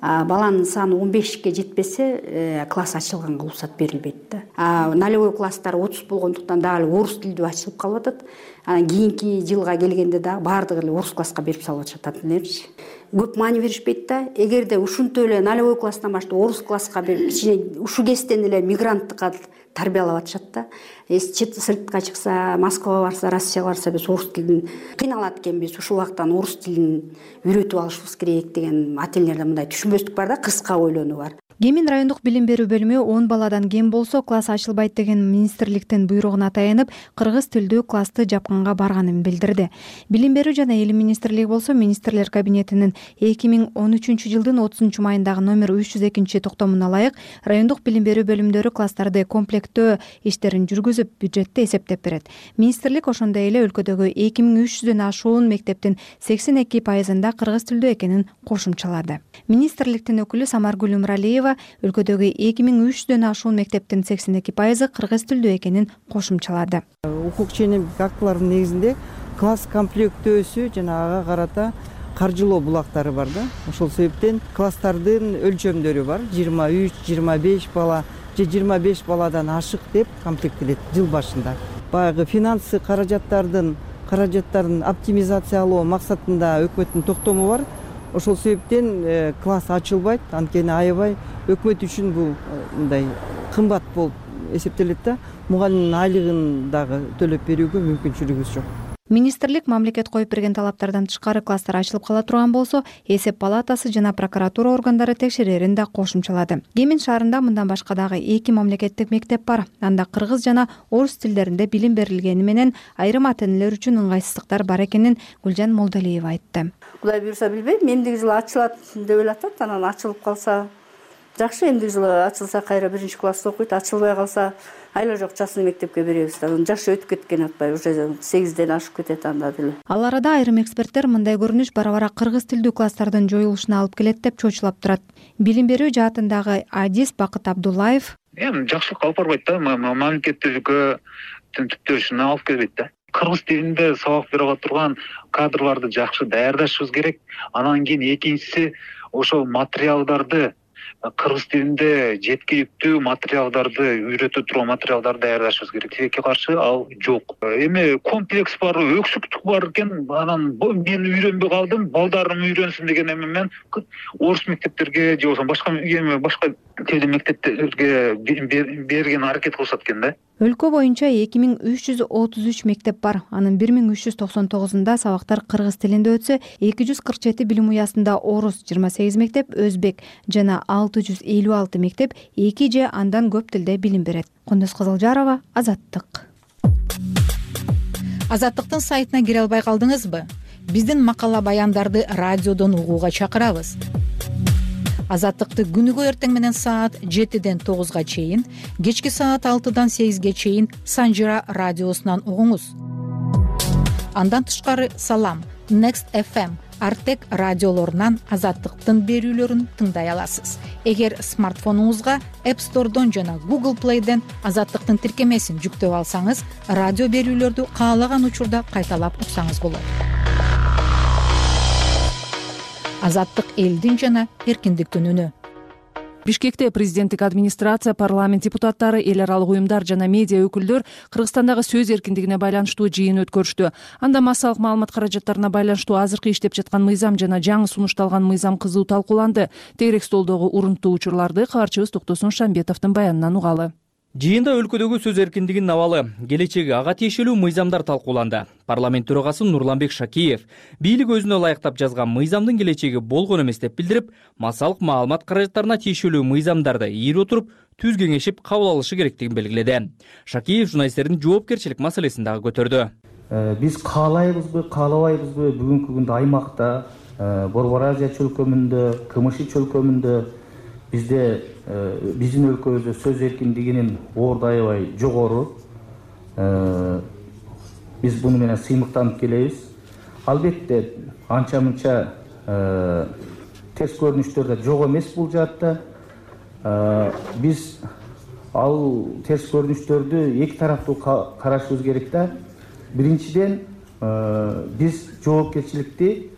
Баланын саны 15ке жетпесе, класс ачылганга уруксат берилбейт да. Нулевой класстар 30 болгондуктан дагы орус тилдүү ачылып калып атат. Анан кийинки жылга келгенде дагы баардыгы эле орус класска берип салып атышат аталерчи. Көп маани беришпейт да. Эгерде ушинтип эле нулевой класстан баштап орус класска берип, ушу кезден эле мигранттыкка тарбиялап атышат да. Сыртка чыкса, Москвага барса, Россияга барса, биз орус тилин кыйналат экенбиз, ушул убактан орус тилин үйрөтүп алышыбыз керек деген ата энелерде мындай түшүнбөстүк бар да, кыска ойлонуу бар. Кемин райондук билим берүү бөлүмү 10 баладан кем болсо класс ачылбайт деген министрликтин буйругуна таянып, кыргыз тилдүү классты жапканга барганын билдирди. Билим берүү жана эл министрлиги болсо министрлер кабинетинин 2013 жылдын 30 майындагы номер 302 токтомуна ылайык райондук билим берүү бөлүмдөрү класстарды комплекттөө иштерин жүргүзүп, бюджетти эсептеп берет. Министрлик ошондой эле өлкөдөгү 2300дөн ашуун мектептин 82%-ында кыргыз тилдүү экенин кошумчалады. Министрликтин өкүлү Самаргүл Умралиева өлкөдөгү 2300дөн ашуун мектептин 82% кыргыз тилдүү экенин кошумчалады. Укук ченемдик актылардын негизинде класс комплектөөсү жана ага карата каржылоо булактары бар да. Ошол себептен класстардын өлчөмдөрү бар. 23, 25 бала же 25 баладан ашык деп комплектелет жыл башында. Баягы финансы каражаттарын оптимизациялоо максатында өкмөттүн токтому бар. Ошол себептен класс ачылбайт, анткени аябай өкмөт үчүн бул мындай кымбат болуп эсептелет да. Мугалимдин айлыгын дагы төлөп берүүгө мүмкүнчүлүгүбүз жок. Министрлик мамлекет коюп берген талаптардан тышкары класстар ачылып кала турган болсо, эсеп палатасы жана прокуратура органдары текшерерин да кошумчалады. Кемин шаарында мындан башка дагы 2 мамлекеттик мектеп бар. Анда кыргыз жана орус тилдеринде билим берилгени менен айрым ата-энелер үчүн ыңгайсыздыктар бар экенин Гүлжан Молдалиева айтты. Кудай буйрса билбейм, эмдиги жылы ачылат деп элатат, анан ачылып калса жакшы, эмдиги жылы ачылса кайра 1-класста окуйт, ачылбай калса айла жок частный мектепке беребиз. Жашы өтүп кеткен атпайбы, уже 8ден ашып кетет анда деле. Ал арада айрым эксперттер мындай көрүнүш бара-бара кыргыз тилдүү класстардын жоюлушуна алып келет деп чочулап турат. Билим берүү жаатындагы адис Бакыт Абдуллаев: Эми жакшылыкка алып барбайт да, мамлекеттүүлүккө түптөшүнө алып келбейт да. Кыргыз тилинде сабак бере турган кадрларды жакшы даярдашыбыз керек. Анан кийин экинчиси ошол материалдарды кыргыз тилинде жеткиликтүү материалдарды үйрөтө турган материалдарды даярдашыбыз керек. Тилекке каршы ал жок. Эми комплекс бар, өксүктүк бар экен. Анан мен үйрөнбөй калдым, балдарым үйрөнсүн деген эми мен орус мектептерге же болбосо башка тилдүү мектептерге берген аракет кылышат экен да. Өлкө боюнча 2333 мектеп бар. Анын 1399-унда сабактар кыргыз тилинде өтсө, 247 билим уясында орус, 28 мектеп өзбек жана 656 мектеп 2 же андан көп тилде билим берет. Кондос Кызылжарова, Азаттык. Азаттыктын сайтына кире албай калдыңызбы? Биздин макала баяндарды радиодон угууга чакырабыз. Азаттыкты күнүгө эртең менен саат 7ден 9га чейин, кечки саат 6дан 8ге чейин Санжира радиосунан угуңуз. Андан тышкары Салам, Next FM, Артек радиолорунан Азаттыктын берүүлөрүн тыңдай аласыз. Эгер смартфонуңузга App Store'дон жана Google Play'ден Азаттыктын тиркемесин жүктөп алсаңыз, радио берүүлөрдү каалаган учурда кайталап уксаңыз болот. Азаттык элдин жана эркиндиктин үнү. Бишкекте президенттик администрация, парламент депутаттары, эл аралык уюмдар жана медиа өкүлдөр Кыргызстандагы сөз эркиндигине байланыштуу жыйын өткөрүштү. Анда массалык маалымат каражаттарына байланыштуу азыркы иштеп жаткан мыйзам жана жаңы сунушталган мыйзам кызуу талкууланды. Тегерек столдогу урунттуу учурларды кабарчыбыз Токтосун Шамбетовдун баянынан угалы. Жыйында өлкөдөгү сөз эркиндигинин абалы, келечеги, ага тиешелүү мыйзамдар талкууланды. Парламент төрагасы Нурланбек Шакиев бийлик өзүнө ылайыктап жазган мыйзамдын келечеги болгон эмес деп билдирип, массалык маалымат каражаттарына тиешелүү мыйзамдарды ийип отуруп түз кеңешип кабыл алышы керектигин белгиледи. Шакиев журналисттердин жоопкерчилик маселесин дагы көтөрдү. Биз каалайбызбы, каалабайбызбы бүгүнкү күндө аймакта, Борбор Азия чөлкөмүндө, КМШ чөлкөмүндө бизде биздин өлкөбүздө сөз эркиндигинин орду аябай жогору. Биз буну менен сыймыктанып келебиз. Албетте анча-мынча терс көрүнүштөр да жок эмес бул жаатта. Биз ал терс көрүнүштөрдү эки тараптуу карашыбыз керек да. Биринчиден, биз жоопкерчиликти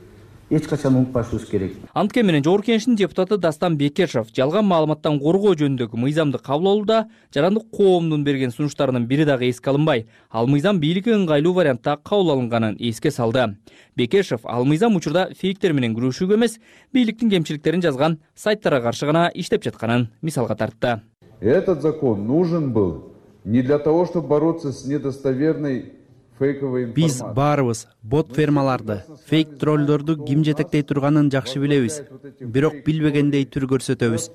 эч качан унутпашыбыз керек. Антке менен Жогорку Кеңештин депутаты Дастан Бекешев жалган маалыматтан коргоо жөнүндөгү мыйзамды кабыл алууда жарандык коомдун берген сунуштарынын бири дагы эске алынбай, ал мыйзам бийликке ыңгайлуу вариантта кабыл алынганын эске салды. Бекешев ал мыйзам учурда фейктер менен күрөшүүгө эмес, бийликтин кемчиликтерин жазган сайттарга каршы гана иштеп жатканын мисалга тартты. Этот закон нужен был не для того, чтобы бороться с недостоверной Биз баарыбыз бот фермаларды, фейк троллдорду ким жетектей турганын жакшы билебиз, бирок билбегендей түр көрсөтөбүз.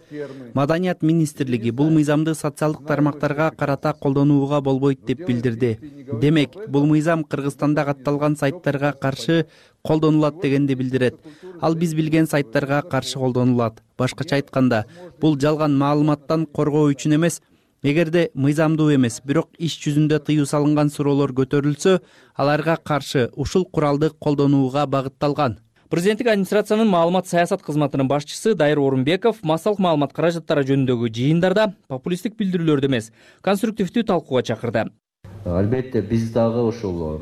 Маданият министрлиги бул мыйзамды социалдык тармактарга карата колдонууга болбойт деп билдирди. Демек, бул мыйзам Кыргызстанда катталган сайттарга каршы колдонулат дегенди билдирет. Ал биз билген сайттарга каршы колдонулат. Башкача айтканда, бул жалган маалыматтан коргоо үчүн эмес, эгерде мыйзамдуу эмес, бирок иш жүзүндө тыюу салынган суроолор көтөрүлсө, аларга каршы ушул куралды колдонууга багытталган. Президенттик администрациянын маалымат саясат кызматынын башчысы Дайыр Орунбеков массалык маалымат каражаттары жөнүндөгү жыйындарда популисттик билдирүүлөрдү эмес, конструктивдүү талкууга чакырды. Албетте биз дагы ушул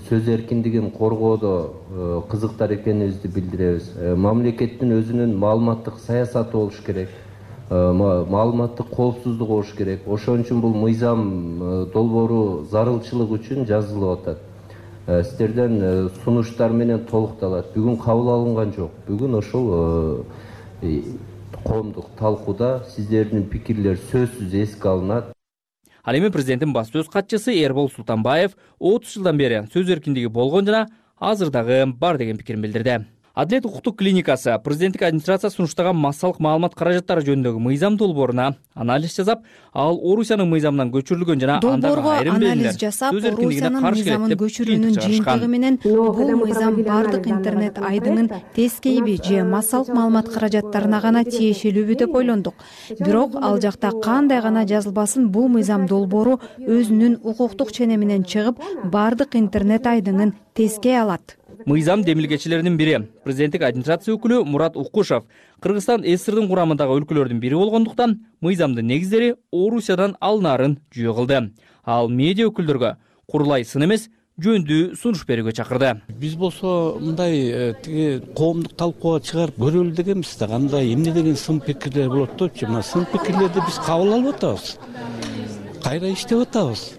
сөз эркиндигин коргоодо кызыктар экенибизди билдиребиз. Мамлекеттин өзүнүн маалыматтык саясаты болуш керек. Маалыматтык коопсуздук болуш керек. Ошон үчүн бул мыйзам долбоору зарылчылык үчүн жазылып атат. Сиздерден сунуштар менен толукталат. Бүгүн кабыл алынган жок. Бүгүн ошол коомдук талкууда сиздердин пикирлер сөзсүз эске алынат. Ал эми президенттин басты сөз катчысы Эрбол Султанбаев 30 жылдан бери сөз эркиндиги болгон жана азыр дагы бар деген пикирин билдирди. Адилет укуктук клиникасы президенттик администрация сунуштаган массалык маалымат каражаттары жөнүндөгү мыйзам долбооруна анализ жасап, ал Орусиянын мыйзамынан көчүрүлгөн жана долбоорго анализ жасап, Орусиянын мыйзамын көчүрүүнүн жыйынтыгы менен бул мыйзам бардык интернет айдыңын тескейби же массалык маалымат каражаттарына гана тиешелүүбү деп ойлондук. Бирок ал жакта кандай гана жазылбасын, бул мыйзам долбоору өзүнүн укуктук ченеминен чыгып, бардык интернет айдыңын тескей алат. Мыйзам демилгечилеринин бири президенттик администрация өкүлү Мурат Уккушев Кыргызстан СССРдин курамындагы өлкөлөрдүн бири болгондуктан мыйзамдын негиздери Орусиядан алынаарын жүйө кылды. Ал медиа өкүлдөргө курулай сын эмес, жөндүү сунуш берүүгө чакырды. Биз болсо мындай тиги коомдук талкууга чыгарып көрөлү дегенбиз да, кандай эмне деген сын пикирлер болот депчи. Мына сын пикирлерди биз кабыл алып атабыз. Кайра иштеп атабыз.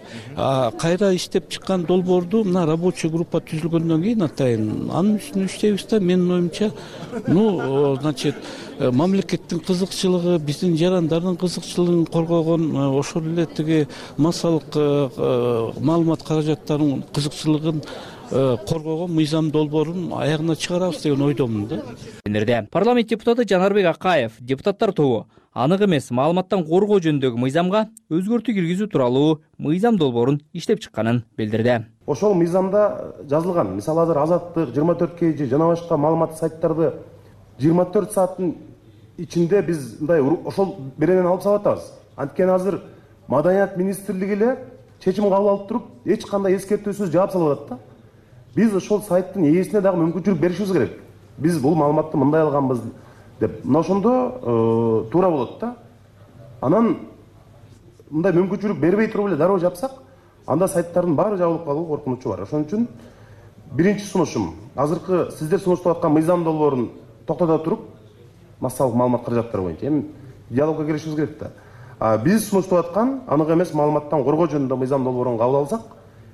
Кайра иштеп чыккан долбоорду мына рабочий группа түзүлгөндөн кийин атайын анын үстүнө иштейбиз да. Менин оюмча, значит, мамлекеттин кызыкчылыгы, биздин жарандардын кызыкчылыгын коргогон, ошол эле тиги массалык маалымат каражаттарынын кызыкчылыгын коргогон мыйзам долбоорун аягына чыгарабыз деген ойдомун да. Парламент депутаты Жанарбек Акаев депутаттар тобу анык эмес маалыматтан коргоо жөнүндөгү мыйзамга өзгөртүү киргизүү тууралуу мыйзам долбоорун иштеп чыкканын билдирди. Ошол мыйзамда жазылган, мисалы азыр Азаттык, 24KG жана башка маалыматтык сайттарды 24 сааттын ичинде биз мындай ошол беренен алып салып атабыз. Анткени азыр Маданият министрлиги эле чечим кабыл алып туруп, эч кандай эскертүүсүз жаап салып атат да. Биз ошол сайттын ээсине дагы мүмкүнчүлүк беришибиз керек. Биз бул маалыматты мындай алганбыз деп. Мына ошондо туура болот да. Анан мындай мүмкүнчүлүк бербей туруп эле дароо жапсак, анда сайттардын баары жабылып калуу коркунучу бар. Ошон үчүн биринчи сунушум, азыркы сиздер сунуштап аткан мыйзам долбоорун токтото туруп, массалык маалымат каражаттары боюнча эми диалогко киришибиз керек да. Биз сунуштап аткан анык эмес маалыматтан коргоо жөнүндө мыйзам долбоорун кабыл алсак,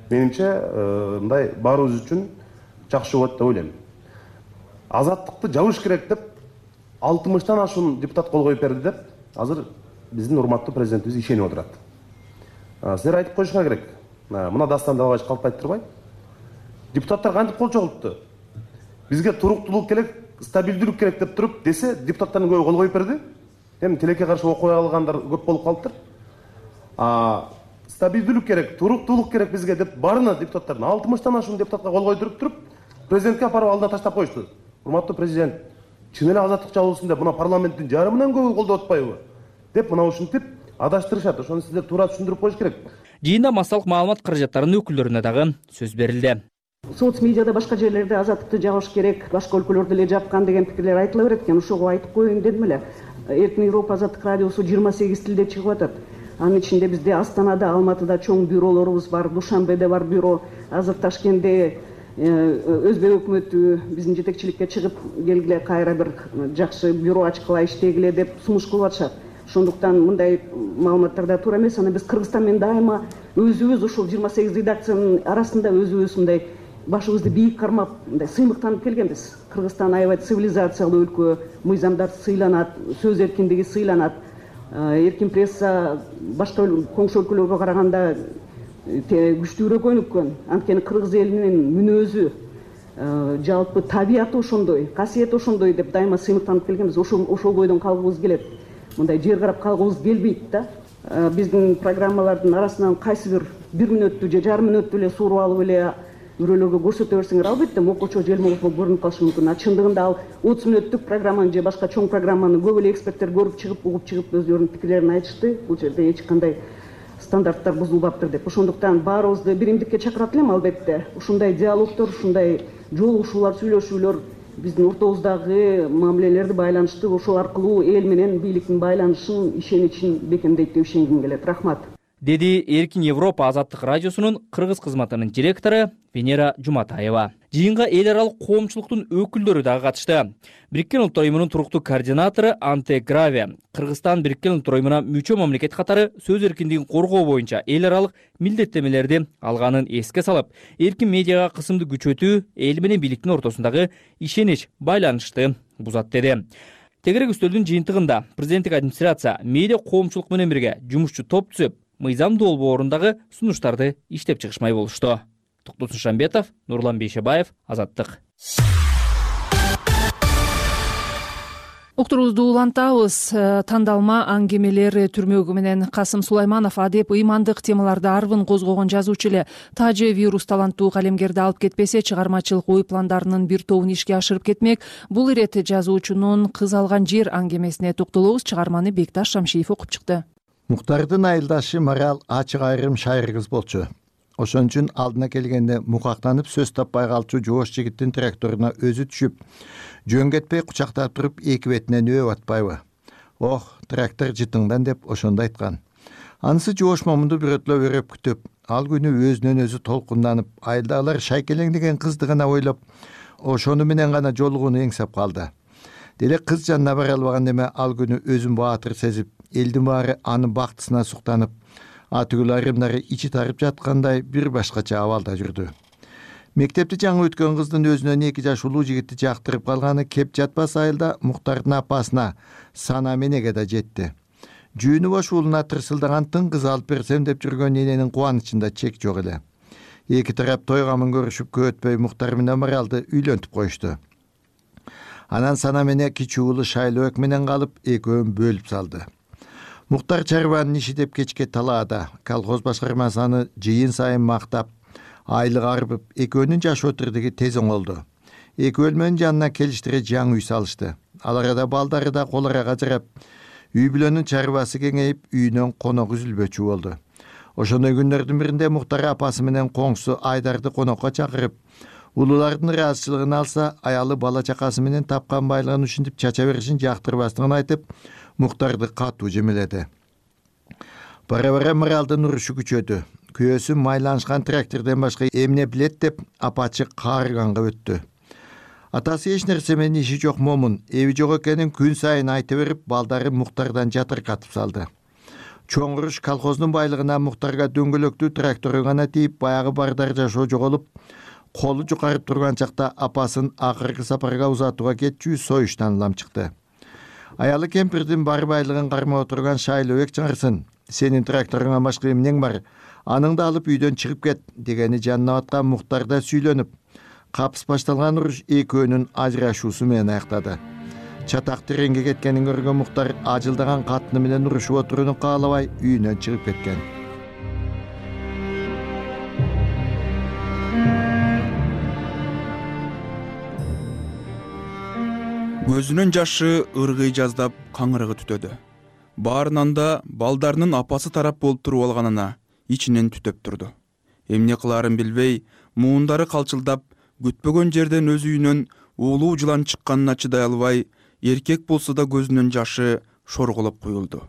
менимче мындай баарыбыз үчүн жакшы болот деп ойлойм. Азаттыкты жабыш керек деп 60-тан ашуун депутат кол коюп берди деп азыр биздин урматтуу президентибиз ишенип отурат. Силер айтып коюшуңар керек. Мына Дастан Далбаевич калп айтып турбайбы? Депутаттар кантип кол чогултtu? Бизге туруктуулук керек, стабилдүүлүк керек деп туруп десе, депутаттардын көбү кол коюп берди. Эми тилекке каршы окуя алгандар көп болуп калыптыр. Стабилдүүлүк керек, туруктуулук керек бизге деп баарына депутаттардын 60-тан ашуун депутатка кол койдуруп туруп, президентке апарып алдына таштап коюшту. Урматтуу президент, чын эле азаттык жабылсын деп, мына парламенттин жарымынан көбү колдоп атпайбы? Деп мына ушинтип адаштырышат. Ошону сиздер туура түшүндүрүп коюш керек. Жыйында массалык маалымат каражаттарынын өкүлдөрүнө дагы сөз берилди. Соц медиада башка жерлерде азаттыкты жабыш керек, башка өлкөлөрдө эле жапкан деген пикирлер айтыла берет экен. Ошого айтып коеюн дедим эле. Эркин Европа азаттык радиосу 28 тилде чыгып атат. Анын ичинде бизде Астанада, Алматыда чоң бюролорубуз бар, Душанбеде бар бюро, азыр Ташкентте Өзбек өкмөтү биздин жетекчиликке чыгып келгиле, кайра бир жакшы бюро ачкыла иштегиле деп сунуш кылып атышат. Ошондуктан мындай маалыматтарда туура эмес. Аны биз Кыргызстан менен дайыма өзүбүз ушул 28 редакциянын арасында өзүбүз мындай башыбызды бийик кармап, мындай сыймыктанып келгенбиз. Кыргызстан аябай цивилизациялуу өлкө, мыйзамдар сыйланат, сөз эркиндиги сыйланат. Эркин пресса башка коңшу өлкөлөргө караганда күчтүүрөөк өнүккөн. Анткени кыргыз элинин мүнөзү, жалпы табияты ошондой, касиети ошондой деп дайыма сыймыктанып келгенбиз. Ошол бойдон калгыбыз келет. Мындай жер карап калгыбыз келбейт да. Биздин программалардын арасынан кайсы бир мүнөттү же жарым мүнөттү эле сууруп алып эле үрөлөргө көрсөтө берсеңер, албетте мокочо желмолук болуп көрүнүп калышы мүмкүн. Чындыгында ал 30 мүнөттүк программаны же башка чоң программаны көп эле эксперттер көрүп чыгып, угуп чыгып өздөрүнүн пикирлерин айтышты. Бул жерде эч кандай стандарттар бузулбаптыр деп. Ошондуктан баарыбызды биримдикке чакырат элем албетте. Ушундай диалогдор, ушундай жолугушуулар, сүйлөшүүлөр биздин ортобуздагы мамилелерди байланышты, ошол аркылуу эл менен бийликтин байланышын, ишеничин бекемдейт деп ишенгим келет. Рахмат. Деди Эркин Европа азаттык радиосунун кыргыз кызматынын директору Венера Жуматаева. Жыйынга эл аралык коомчулуктун өкүлдөрү дагы катышты. Бириккен Улуттар Уюмунун туруктуу координатору Анте Граве Кыргызстан Бириккен Улуттар Уюмуна мүчө мамлекет катары сөз эркиндигин коргоо боюнча эл аралык милдеттенмелерди алганын эске салып, эркин медиага кысымды күчөтүү эл менен бийликтин ортосундагы ишенич байланышты бузат деди. Тегерек үстөлдүн жыйынтыгында президенттик администрация медиа коомчулук менен бирге жумушчу топ түзүп, мыйзам долбоорундагы сунуштарды иштеп чыгышмай болушту. Токтос Шамбетов, Нурлан Бейшебаев, Азаттык. Уктуруубузду улантабыз. Тандалма аңгемелер түрмөгү менен Касым Сулайманов адеп ыймандык темаларды арбын козгогон жазуучу эле Тажы вирус таланттуу калемгерди алып кетпесе, чыгармачылык ой пландарынын бир тобун ишке ашырып кетмек. Бул ирет жазуучунун Кыз алган жер аңгемесине токтолобуз. Чыгарманы Бекташ Шамшиев окуп чыкты. Муктардын айылдашы Марал ачык айрым шайыр кыз болчу. Ошон үчүн алдына келгенде мукактанып сөз таппай калчу жоош жигиттин тракторуна өзү түшүп, жөн кетпей кучактап туруп эки бетинен өө атпайбы. Ох, трактор жытыңдан деп ошондо айткан. Анысы жоош момунду бирөтлөп өрөп күтүп, ал күнү өзүнөн өзү толкунданып, айылдагылар шайкелең деген кызды гана ойлоп, ошону менен гана жолугууну эңсеп калды. Делек кыз жанына бара албаган эме ал күнү өзүн баатыр сезип, элдин баары анын бактысына суктанып, атүгүл айрымдары ичи тарып жаткандай бир башкача абалда жүрдү. Мектепти жаңы өткөн кыздын өзүнөн 2 жаш улуу жигитти жактырып калганы кеп жатпас айылда Муктардын апасына Сана менеге да жетти. Жүүнү бош уулуна тырсылдаган тың кыз алып берсем деп жүргөн эненин кубанычында чек жок эле. Эки тарап той камын көрүшүп көп өтпөй Муктар менен Маралды үйлөнтүп коюшту. Анан Сана менен кичүү уулу Шайлоок менен калып, экөөнүн бөлүп салды. Муктар чарбанын иши деп кечке талаада, колхоз башкармасы аны жыйын сайын мактап, айлык арбып, экөөнүн жашоо тирдиги тез оңолду. Эки бөлмөнүн жанына келиштире жаңы үй салышты. Ал арада балдары да кол арага жарап, үй бүлөнүн чарбасы кеңейип, үйүнөн конок үзүлбөчү болду. Ошондой күндөрдүн биринде Муктар апасы менен коңсу Айдарды конокко чакырып, улуулардын ыраазычылыгын алса, аялы бала чакасы менен тапкан байлыгын ушинтип чача беришин жактырбастыгын айтып, Муктарды катуу жемеледи. Бара-бара Маралдын урушу күчөдү. Күйөөсү майланышкан трактордон башка эмне билет деп апачы каарыганга өттү. Атасы эч нерсе менен иши жок момун, эби жок экенин күн сайын айта берип, балдары Муктардан жатыркатып салды. Чоң уруш колхоздун байлыгына Муктарга дөңгөлөктүү трактору гана тийип, баягы бардар жашоо жоголуп, колу жукарып турган чакта апасын акыркы сапарга узатууга кетчү союштан улам чыкты. Аялы кемпирдин бар байлыгын кармап отурган Шайлоок чыңырсын, сенин тракторуңа башка эмнең бар, аныңды алып үйдөн чыгып кет дегени жанына баткан Муктарда сүйлөнүп, капыс башталган уруш экөөнүн ажырашуусу менен аяктады. Чатак тереңге кеткенин көргөн Муктар ажылдаган катыны менен урушуп отурууну каалабай үйүнөн чыгып кеткен. Көзүнүн жашы ыргый жаздап каңырыгы түтөдү. Баарынан да балдарынын апасы тарап болуп туруп алганына ичинен түтөп турду. Эмне кылаарын билбей, муундары калчылдап, күтпөгөн жерден өз үйүнөн уулуу жылан чыкканына чыдай албай, эркек болсо да көзүнүн жашы шорголоп куюлду.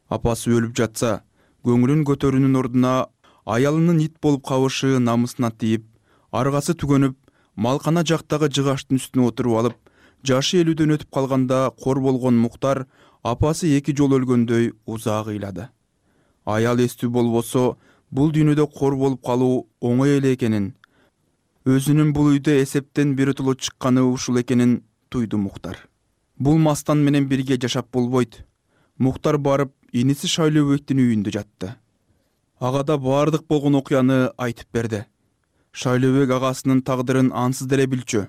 Апасы өлүп жатса, көңүлүн көтөрүүнүн ордуна аялынын ит болуп кабышы намысына тийип, аргасы түгөнүп, малкана жактагы жыгаштын үстүнө отуруп алып, жашы 50дөн өтүп калганда кор болгон Муктар апасы 2 жол өлгөндөй узак ыйлады. Аял эстүү болбосо, бул дүйнөдө кор болуп калуу оңой эле экенин, өзүнүн бул үйдө эсептен биротоло чыкканы ушул экенин туйду Муктар. Бул мастан менен бирге жашап болбойт. Муктар барып, иниси Шайлообектин үйүндө жатты. Ага да баардык болгон окуяны айтып берди. Шайлообек агасынын тагдырын ансыз деле билчү.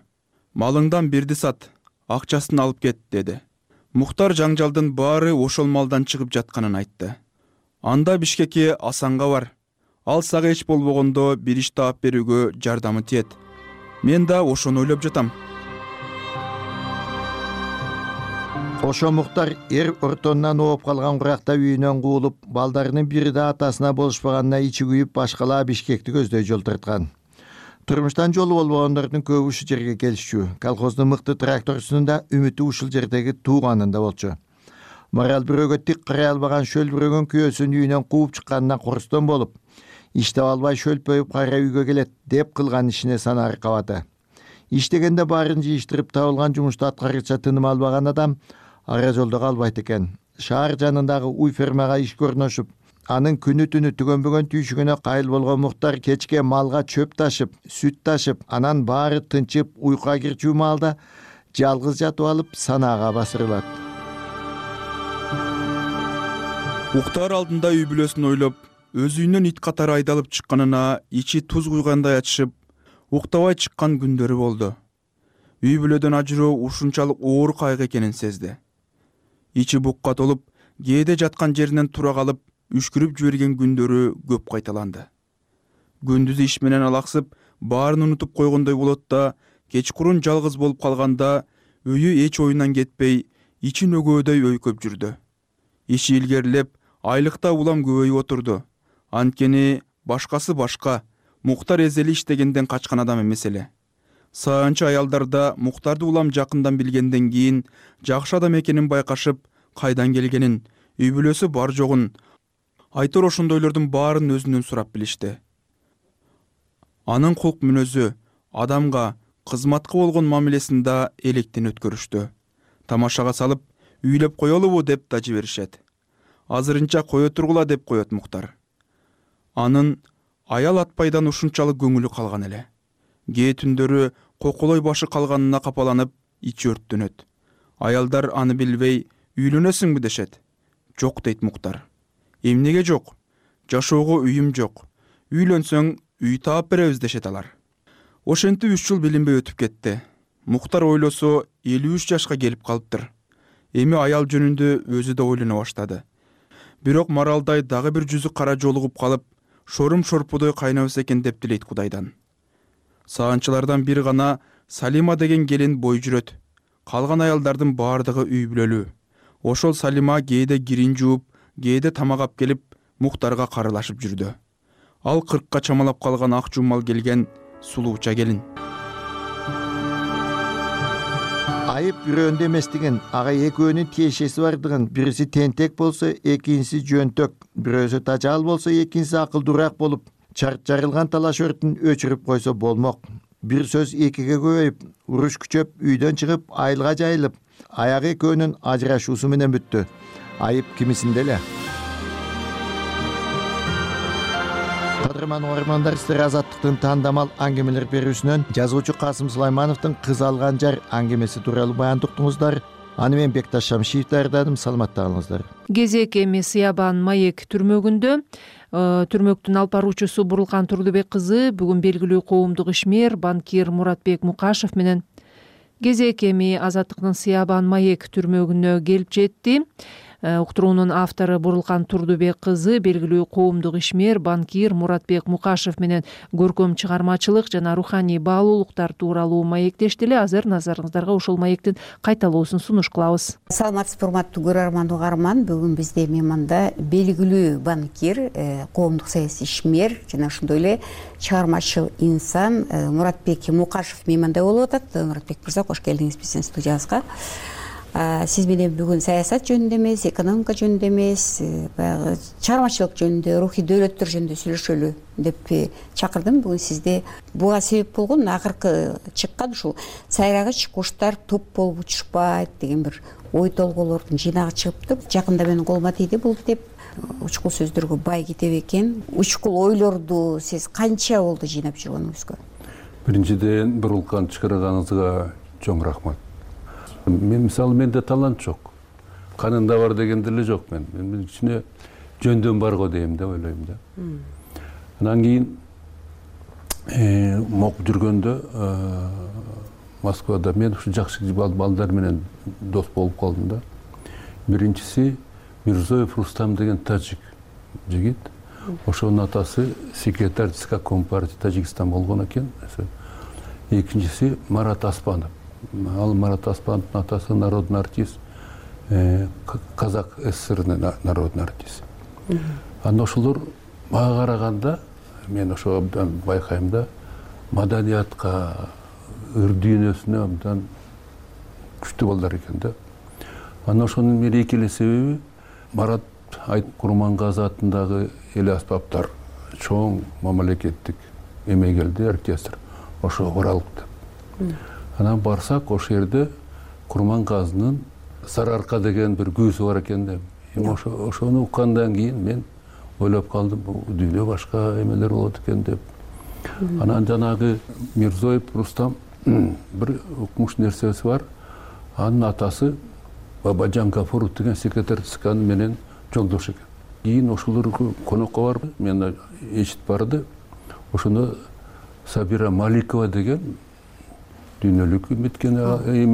Малыңдан бирди сат, акчасын алып кет, деди. Муктар жаңжалдын баары ошол малдан чыгып жатканын айтты. Анда Бишкекке Асанга бар. Ал сага эч болбогондо бир иш таап берүүгө жардамы тиет. Мен да ошону ойлоп жатам. Ошо Муктар ортонунан ооп калган куракта үйүнөн куулуп, балдарынын бири да атасына болушпаганына ичи күйүп, башкалаа Бишкекти көздөй жол тарткан. Турмуштан жолу болбогондордун көбү ушул жерге келишчү. Колхоздун мыкты тракторчусунун да үмүтү ушул жердеги тууганында болчу. Марал бирөөгө тик карай албаган шөлбүрөгөн күйөөсүн үйүнөн кууп чыкканына корустон болуп, иштеп албай шөлпөйүп кайра үйгө келет деп кылган ишине сана аркабады. Иштегенде баарын жыйыштырып табылган жумушту аткаргыча тыным албаган адам ара жолдо калбайт экен. Шаар жанындагы уй фермага иш көрнөшүп, анын күнү түнү түгөнбөгөн түйшүгүнө кайыл болгон Муктар кечке малга чөп ташып, сүт ташып, анан баары тынчып уйкуга кирчү маалда жалгыз жатып алып санаага басырылат. уктаар алдында үй бүлөсүн ойлоп, өз үйүнөн ит катары айдалып чыкканына ичи туз куйгандай ачышып, уктабай чыккан күндөрү болду. Үй бүлөдөн ажыроо ушунчалык оор кайгы экенин сезди. Ичи букка толуп, кээде жаткан жеринен тура калып, үшкүрүп жиберген күндөрү көп кайталанды. Күндүз иш менен алаксып, баарын унутуп койгондой болот да, кечкурун жалгыз болуп калганда өйү эч оюнан кетпей, ичи нөгөөдөй өйкөп жүрдү. Иши илгерилеп, айлыкта улам көбөйүп отурду. Анткени башкасы башка, Муктар эзели иштегенден качкан адам эмес эле. Саанчы аялдарда Муктарды улам жакындан билгенден кийин жакшы адам экенин байкашып, кайдан келгенин, үй бүлөсү бар жогун, айтор ошондойлордун баарын өзүнөн сурап билишти. Анын кулк мүнөзү, адамга, кызматка болгон мамилесинда электен өткөрүштү. Тамашага салып, үйлөп коелубу деп да жиберишет. Азырынча кое тургула деп коет Муктар. Анын аял атпайдан ушунчалык көңүлү калган эле. Кээ түндөрү коколой башы калганына капаланып, ичи өрттөнөт. Аялдар аны билбей, үйлөнөсүңбү дешет. Жок дейт Муктар. Эмнеге жок? Жашоого үйүм жок. Үйлөнсөң, үй таап беребиз дешет алар. Ошентип 3 жыл билинбей өтүп кетти. Муктар ойлосо 53 жашка келип калыптыр. Эми аял жөнүндө өзү да ойлоно баштады. Бирок Маралдай дагы бир жүзү кара жолугуп калып, шорум шорпудой кайнабыз экен деп тилейт Кудайдан. Саанчылардан бир гана Салима деген келин бой жүрөт. Калган аялдардын баардыгы үй бүлөлүү. Ошол Салима кээде кирин жууп, кээде тамак ап келип, Муктарга карылашып жүрдү. Ал 40ка чамалап калган ак жумал келген сулууча келин. Айып бирөөндө эмес деген, ага экөөнүн тиешеси бардыгын, бириси тентек болсо, экинчиси жөнтөк, бирөөсү тажал болсо, экинчиси акылдуураак болуп, чарт жарылган талаш өртүн өчүрүп койсо болмок. Бир сөз экиге көбөйүп, уруш күчөп, үйдөн чыгып, айылга жайылып, аягы экөөнүн ажырашуусу менен бүттү. Айып кимисинде эле. Кадырман угармандар, сиздер Азаттыктын тандамал аңгемелер берүүсүнөн жазуучу Касым Сулаймановдун Кыз алган жар аңгемеси тууралуу баян уктуңуздар. Аны мен Бекташ Шамшиев даярдадым. Саламатта калыңыздар. Кезек эми Сиябан Маек түрмөгүндө. Түрмөктүн алып баруучусу Бурулкан Турдубек кызы бүгүн белгилүү коомдук ишмер банкир Муратбек Мукашев менен кезек эми Азаттыктын Сиябан Маек түрмөгүнө келип жетти. Уктуруунун автору Бурулкан Турдубек кызы белгилүү коомдук ишмер банкир Муратбек Мукашев менен көркөм чыгармачылык жана руханий баалуулуктар тууралуу маектешти эле. Азыр назарыңыздарга ошол маектин кайталоосун сунуш кылабыз. Саламатсызбы, урматтуу көрөрман угарман. Бүгүн бизде мейманда белгилүү банкир, коомдук саясий ишмер жана ошондой эле чыгармачыл инсан Муратбек Мукашев мейманда болуп атат. Муратбек мырза, кош келдиңиз биздин студиябызга. Сиз менен бүгүн саясат жөнүндө эмес, экономика жөнүндө эмес, баягы чыгармачылык жөнүндө, рухий дөөлөттөр жөнүндө сүйлөшөлү деп чакырдым. Бүгүн сизди буга себеп болгон акыркы чыккан ушул сайрагыч куштар топ болуп учушпайт деген бир ой толгоолордун жыйнагы чыгыптыр. Жакында менин колума тийди бул деп. Учкул сөздөргө бай китеп экен. Учкул ойлорду сиз канча болду жыйнап жүргөнүңүзгө? Биринчиден, Бурулкан чыгарганыңызга чоң рахмат. Мен мисалы, менде талант жок. Канында бар деген деле жок мен. Мен ичине жөндөн бар го дейм деп ойлойм да. Анан кийин окуп жүргөндө Москвада мен ушу жакшы балдар менен дос болуп калдым да. Биринчиси Мирзоев Рустам деген тажик жигит. Ошонун атасы секретарь ЦК Компартии Тажикстан болгон экен. Экинчиси Марат Аспанов. Ал Марат Аспановдун атасы народный артист, Казак ССР народный артист. Анан ошолор мага караганда мен ошо абдан байкайм да, маданиятка, ыр дүйнөсүнө абдан күчтүү балдар экен да. Анан ошонун бир эки эле себеби Марат Курмангазы атындагы эл аспаптар чоң мамлекеттик эмегелди оркестр ошого баралыпты. Анан барсак, ошол жерде Курмангазынын Сары арка деген бир күүсү бар экен да. Ошону уккандан кийин мен ойлоп калдым, бул дүйнө башка эмелер болот экен деп. Анан жанагы Мирзоев Рустам бир укмуш нерсеси бар. Анын атасы Бабаджан Гафуров деген секретарь ЦКнын менен жолдош экен. кийин ошолор конокко барып мен eshitip барды. Ошондо Сабира Маликова деген дүйнөлүк эметкен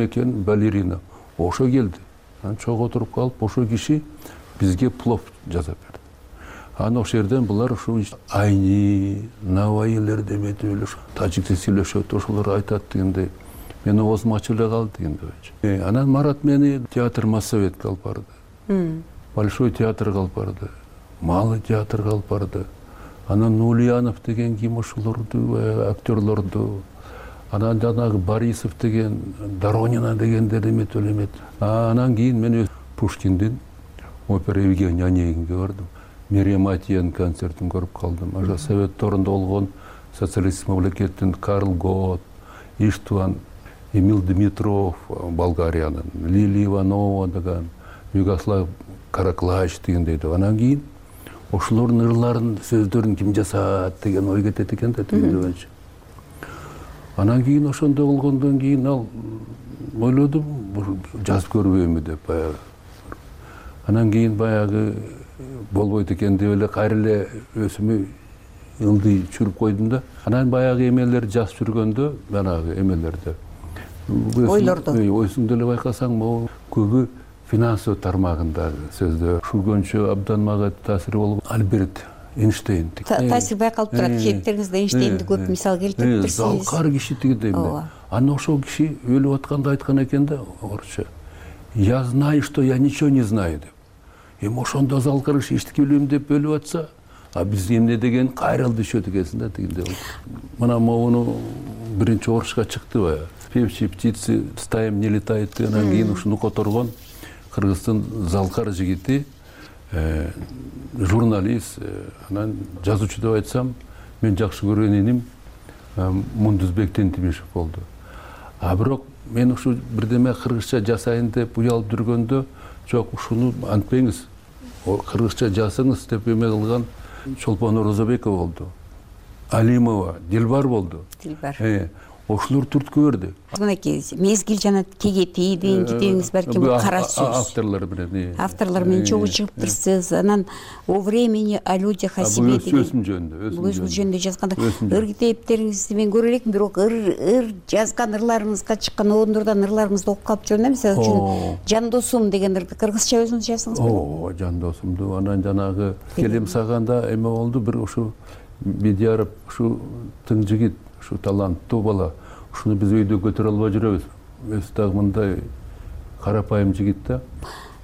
экен балерина. Ошо келди. Анан чогуу отуруп калып, ошо киши бизге плов жасап берди. Анан ошол жерден булар ушу айни, навайилер деметип эле тажикче сүйлөшөт, ошолор айтат дегендей. Мен оозум ачып эле калды дегендей. Анан Марат мени театр Моссоветке алып барды. Большой театрга алып барды. Малый театрга алып барды. Анан Нулиянов деген ким ошолорду, актерлорду. Анан жанагы Борисов деген, Доронина дегендер эметип элемет. Анан кийин мен Пушкиндин опера Евгений Онегинге бардым. Мерием Атиянын концертин көрүп калдым. Ошо Совет торунда болгон социалисттик мамлекеттин Карл Гот, Иштван, Эмил Дмитров Болгариянын, Лилия Иванова деген, Югослав Караклач дегендей. Анан кийин ошолордун ырларын, сөздөрүн ким жасат деген ой кетет экен да тигиндей. Анан кийин ошондой болгондон кийин ал ойлодум, жазып көрбөймү деп баягы. Анан кийин баягы болбойт экен деп эле кайра эле өзүмө ылдый чүрүп койдум да. Анан баягы эмелер жазып жүргөндө, баягы эмелерде ойлорду өзүң деле байкасаң, могу көбү финансовый тармагындагы сөздөр. Ушулгөнчө абдан мага таасири болгон Альберт Эйнштейн. Таасир байкалып турат. Кечтериңизде Эйнштейнди көп мисал келтириптирсиз. Залкар киши тигидей. Анан ошол киши өлүп атканда айткан экен да, орусча. Я знаю, что я ничего не знаю деп. Эми ошондо залкар киши эчтеке билбейм деп өлүп атса, а биз эмне деген кайрылды düşөт экенсиң да тигиндей. Мына могуну биринчи орусча чыкты баягы. Певчие птицы стаям не летают. Анан кийин ушуну которгон Кыргыздын залкар жигити, журналист, анан жазуучу деп айтсам, мен жакшы көргөн иним Мундузбек Тентибешев болду. А бирок мен ушу бирдеме кыргызча жасайын деп уялып жүргөндө, жок, ушуну антпеңиз, кыргызча жазсаңыз деп эме кылган Чолпон Орозобекова болду. Алимова, Дилбар болду. Дилбар. Ошолор түрткө берди. Мынакей мезгил жана кегети деген китебиңиз балким кара сөз. Авторлор менен. Авторлор менен чогуу чыгыптырсыз. Анан о времени о людях о себе деген. Өзүм жөнүндө, өзүм жөнүндө жазганда ыр китептериңизди мен көрө элекмин, бирок ыр жазган ырларыңызга чыккан оондордон ырларыңызды окуп калып жүрөм да. Мисалы үчүн Жан досум деген ырды кыргызча өзүңүз жаздыңызбы? О, Жан досумду анан жанагы келем саганда эме болду, бир ушу Бедияров ушу тың жигит, ушу таланттуу бала. Ушуну биз өйдө көтөрө албай жүрөбүз. Өзү дагы мындай карапайым жигит да.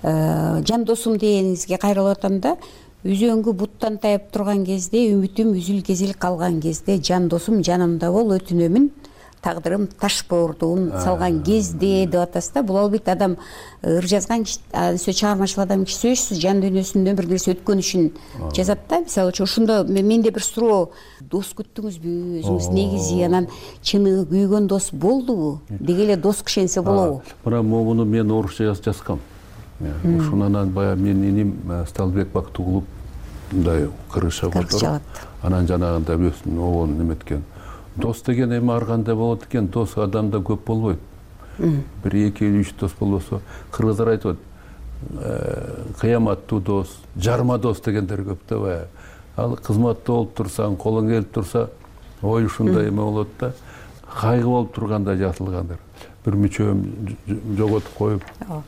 Жан досум дегениңизге кайрылып атам да. Үзөңгү буттан тайып турган кезде, үмүтүм үзүл-кезил калган кезде, жан досум жанымда бол, өтүнөмүн, тагдырым таш боордуун салган кезде деп атасыз да. Бул албетте адам ыр жазган сөз чыгармачыл адам киши сөзсүз жан дүйнөсүндөн бир нерсе өткөн үчүн жазат да. Мисалы үчүн ошондо менде бир суроо, дос күттүңүзбү? Өзүңүз негизи анан чыныгы күйгөн дос болдубу? Деги эле дос кишенсе болобу? Мына муну мен орусча жазгам. Ушунан баягы менин иним Сталбек Бактыгулов мындай кыргызча которуп, анан жанагындай өзүнүн обонун эметкен. Дос деген эми ар кандай болот экен, дос адамда көп болбойт. Бир 2-3 дос болбосо, кыргыздар айтып атат, кыяматтуу дос, жарма дос дегендер көп да баягы. Ал кызматта болуп турсаң, колуң келип турса, ой ушундай эме болот да. Кайгы болуп турганда жазылгандар. Бир мүчөм жоготуп коюп,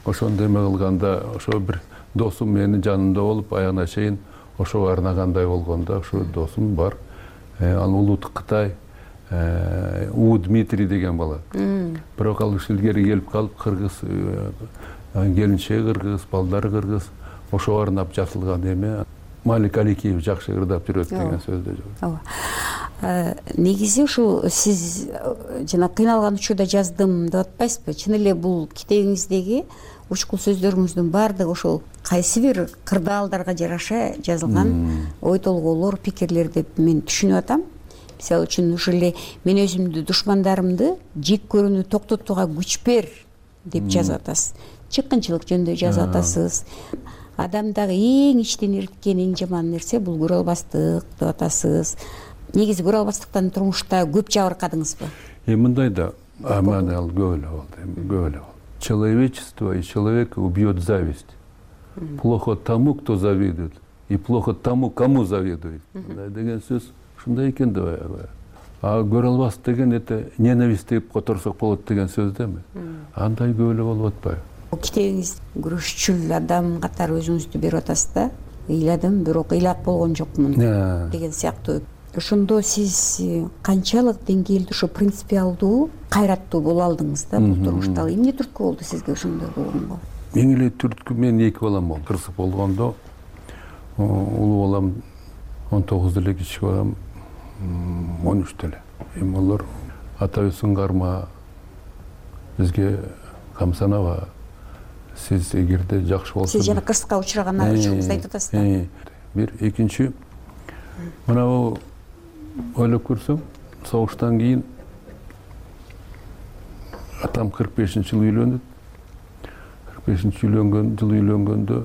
ошондой эме кылганда, ошо бир досум менин жанымда болуп, аягына чейин ошого арнагандай болгондо, ошо досум бар. Ал Улут Кытай, У Дмитрий деген бала. Бирок ал илгери келип калып, кыргыз, келинчеги кыргыз, балдары кыргыз, ошого арнап жазылган эме. Малик Аликеев жакшы ырдап жүрөт деген сөздө жок. Негизи ушул сиз жана кыйналган учурда жаздым деп атпайсызбы? Чын эле бул китебиңиздеги учкул сөздөрүңүздүн баардыгы ошол кайсы бир кырдаалдарга жараша жазылган ой толгоолор, пикирлер деп мен түшүнүп атам. Мисалы үчүн ушул эле мен өзүмдү душмандарымды жек көрүүнү токтотууга күч бер деп жазып атасыз. Чыккынчылык жөнүндө жазып атасыз. Адамдагы эң ичтен эрткен эң жаман нерсе бул көрө албастык деп атасыз. Негизи көрө албастыктан турмушта көп жабыркадыңызбы? Мындай да, мана ал көп эле болду, көп эле болду. Человечество и человека убьет зависть. Плохо тому, кто завидует, и плохо тому, кому завидует деген сөз ушундай экен да баягы. А көрө албас деген это ненависть деп которсок болот деген сөз да эми. Андай көп эле болуп атпайбы? Китебиңиз күрөшчүл адам катары өзүңүздү берип атасыз да. Ыйладым, бирок ыйлап болгон жокмун деген сыяктуу. Ошондо сиз канчалык деңгээлде ошо принципиалдуу, кайраттуу боло алдыңыз да бул турмушта? Эмне түрткү болду сизге ошондой болгонго? Эң эле түрткү мен 2 балам болду. Кырсык болгондо улуу балам 19 эле, кичи балам 13 эле. Эми алар атабыздын карма бизге камсанаба. Сиз эгерде жакшы болсо. Сиз жана кырсыкка учураган агачыңызды айтып атасыз да. Бир, экинчи мына ойлоп көрсөм, согуштан кийин атам 45-жылы үйлөнүп, 45-жылы үйлөнгөндө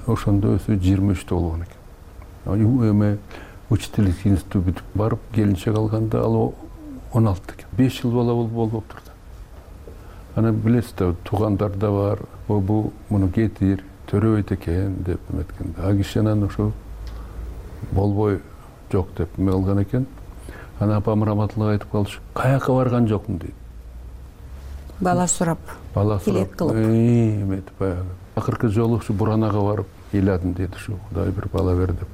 ошондо өзү 23 болгон экен. Эме учительский институт бүтүп барып, келинчек алганда ал 16 экен. 5 жыл бала болуп турду. Ана билесиз да, туугандар да бар, бул муну кетир, төрөбөйт экен деп эметкенде. А киши анан ошо болбой жок деп эме кылган экен. Ана апам раматылык айтып калчу, каяка барган жокмун дейт. Бала сурап, тилек кылып. Эметип баягы. Акыркы жолу ушу Буранага барып ыйладым дейт, ушу Кудай бир бала бер деп.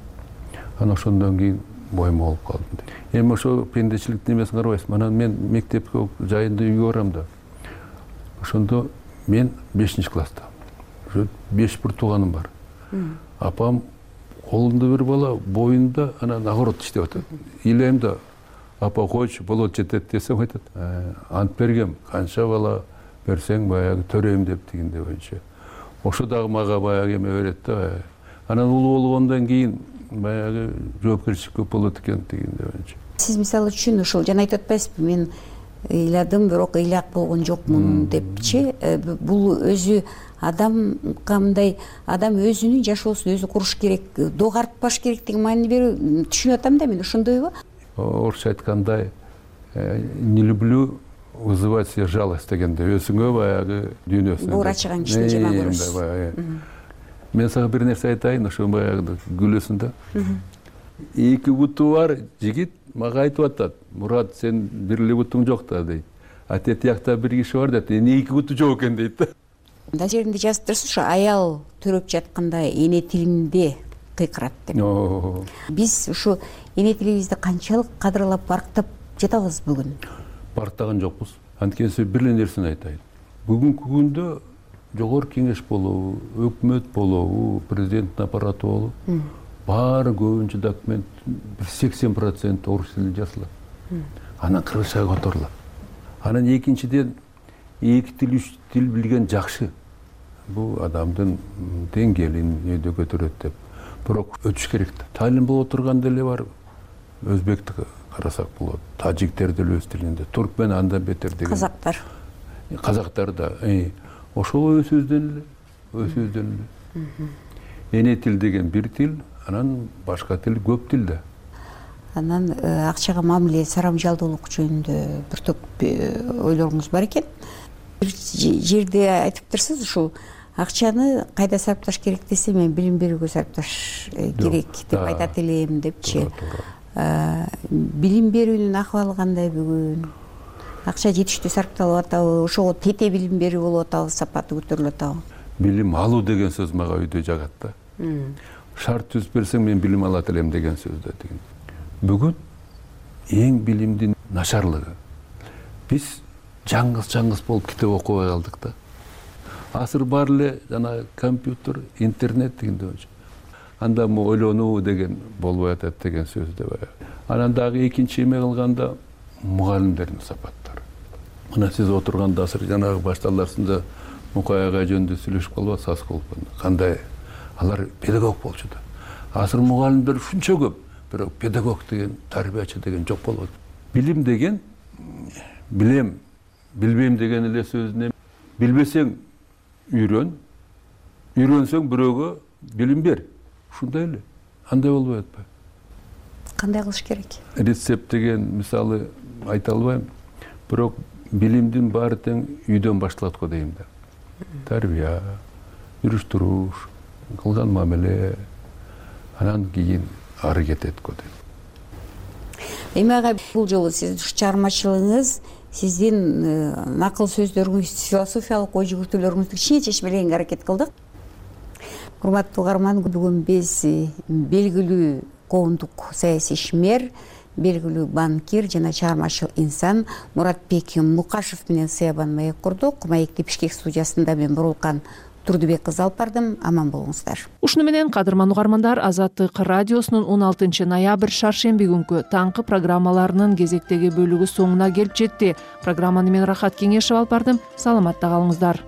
Ана ошондон кийин боюм болуп калдым дейт. Эми ошо пендечиликтин эмесин карабайсыз. Анан мен мектепке жайында үйгө барам да. Ошондо мен 5-класста. Ошо 5 бир тууганым бар. Апам колунда бир бала, боюнда анан огород иштеп атат. Ыйлайм да, апа койчу, болот жетет десем айтат. Ант бергем, канча бала берсең баягы төрөйм деп дегенде боюнча. Ошо дагы мага баягы эме берет да. Анан улуу болгондон кийин баягы жоопкерчилик көп болот экен дегенде боюнча. Сиз мисалы үчүн ошол жана айтып атпайсызбы, мен ыйладым, бирок ыйлак болгон жокмун депчи. Бул өзү адам кандай, адам өзүнүн жашоосун өзү куруш керек, догарытпаш керек деген маани берүү түшүнүп атам да мен, ошондойбу? Орусча айткандай, не люблю вызывать себе жалость дегенде, өзүңө баягы дүйнөсүнө буур ачыган кишини жаман көрөсүз. Мен сага бир нерсе айтайын, ошо баягы күлөсүң да. 2 буту бар жигит мага айтып атат, Мурат, сен бир эле бутуң жок да дейт. А тет жакта бир киши бар дейт, эмне 2 буту жок экен дейт да. Мында жеринде жазып турсуз, ошо аял төрөп жатканда эне тилинде кыйкырат деп. Биз ушу эне тилибизди канчалык кадырлап, барктап жатабыз бүгүн? Барктаган жокпуз. Анткени бир эле нерсени айтайын. Бүгүнкү күндө жогорку кеңеш болобу, өкмөт болобу, президенттин аппараты болобу, баары көбүнчө документ 80% орус тилинде жазылат. Анан кыргызчага которулат. Анан экинчиден 2 тил, 3 тил билген жакшы. Бул адамдын деңгээлин өйдө көтөрөт деп. Бирок өтүш керек да. Талим болуп турганда эле бар. Өзбекти карасак болот. Тажиктер деле өз тилинде. Туркмен андан бетер деген. Казактар. Казактар да. Ошол өз-өздөн эле. Эне тил деген бир тил, анан башка тил көп тил да. Анан акчага мамиле, сарамжалдуулук жөнүндө бир топ ойлоруңуз бар экен. Бир жерде айтып турсуз, ушул акчаны кайда сарпташ керек десе, мен билим берүүгө сарпташ керек деп айтат элем депчи. Билим берүүнүн акыбалы кандай бүгүн? Акча жетиштүү сарпталып атабы? Ошого тете билим берүү болуп атабы, сапаты көтөрүлүп атабы? Билим алуу деген сөз мага үйдө жагат да. Шарт түзүп берсең, мен билим алат элем деген сөз да деген. Бүгүн эң билимдин начарлыгы. Биз жаңгыз болуп китеп окубай калдык да. Азыр бар эле жана компьютер, интернет дегенде болчу. Анда ойлонуу деген болбой атат деген сөз да бар. Анан дагы экинчи эме кылганда мугалимдердин сапаттары. Мына сиз отурганда азыр жанагы башталарында Мукай агай жөнүндө сүйлөшүп калбасыз, Асколов. Кандай алар педагог болчу да. Азыр мугалимдер ушунча көп, бирок педагог деген, тарбиячы деген жок болот. Билим деген билем, билбейм деген эле сөзүнө билбесең үйрөн, үйрөнсөң бирөөгө билим бер. Ушундай эле. Андай болбой атпайбы? Кандай кылыш керек? Рецепт деген мисалы айта албайм, бирок билимдин баары тең үйдөн башталат го дейм да. Тарбия, жүрүш туруш, кылган мамиле анан кийин аракет эткөдү. Эми ага бул жолу сиздин чыгармачылыгыңыз, сиздин накыл сөздөрүңүз, философиялык ой жүгүртүүлөрүңүздү кичине чечмелегенге аракет кылдык. Урматтуу угарман, бүгүн биз белгилүү коомдук саясий ишмер, белгилүү банкир жана чыгармачыл инсан Муратбек Мукашев менен сыябан маек курдук. Маекти Бишкек студиясында мен Бурулкан Турдубек кызы алып бардым. Аман болуңуздар. Ушуну менен кадырман угармандар, Азаттык радиосунун 16 ноябрь шаршемби күнкү таңкы программаларынын кезектеги бөлүгү соңуна келип жетти. Программаны мен Рахат Кеңешев алып бардым. Саламатта калыңыздар.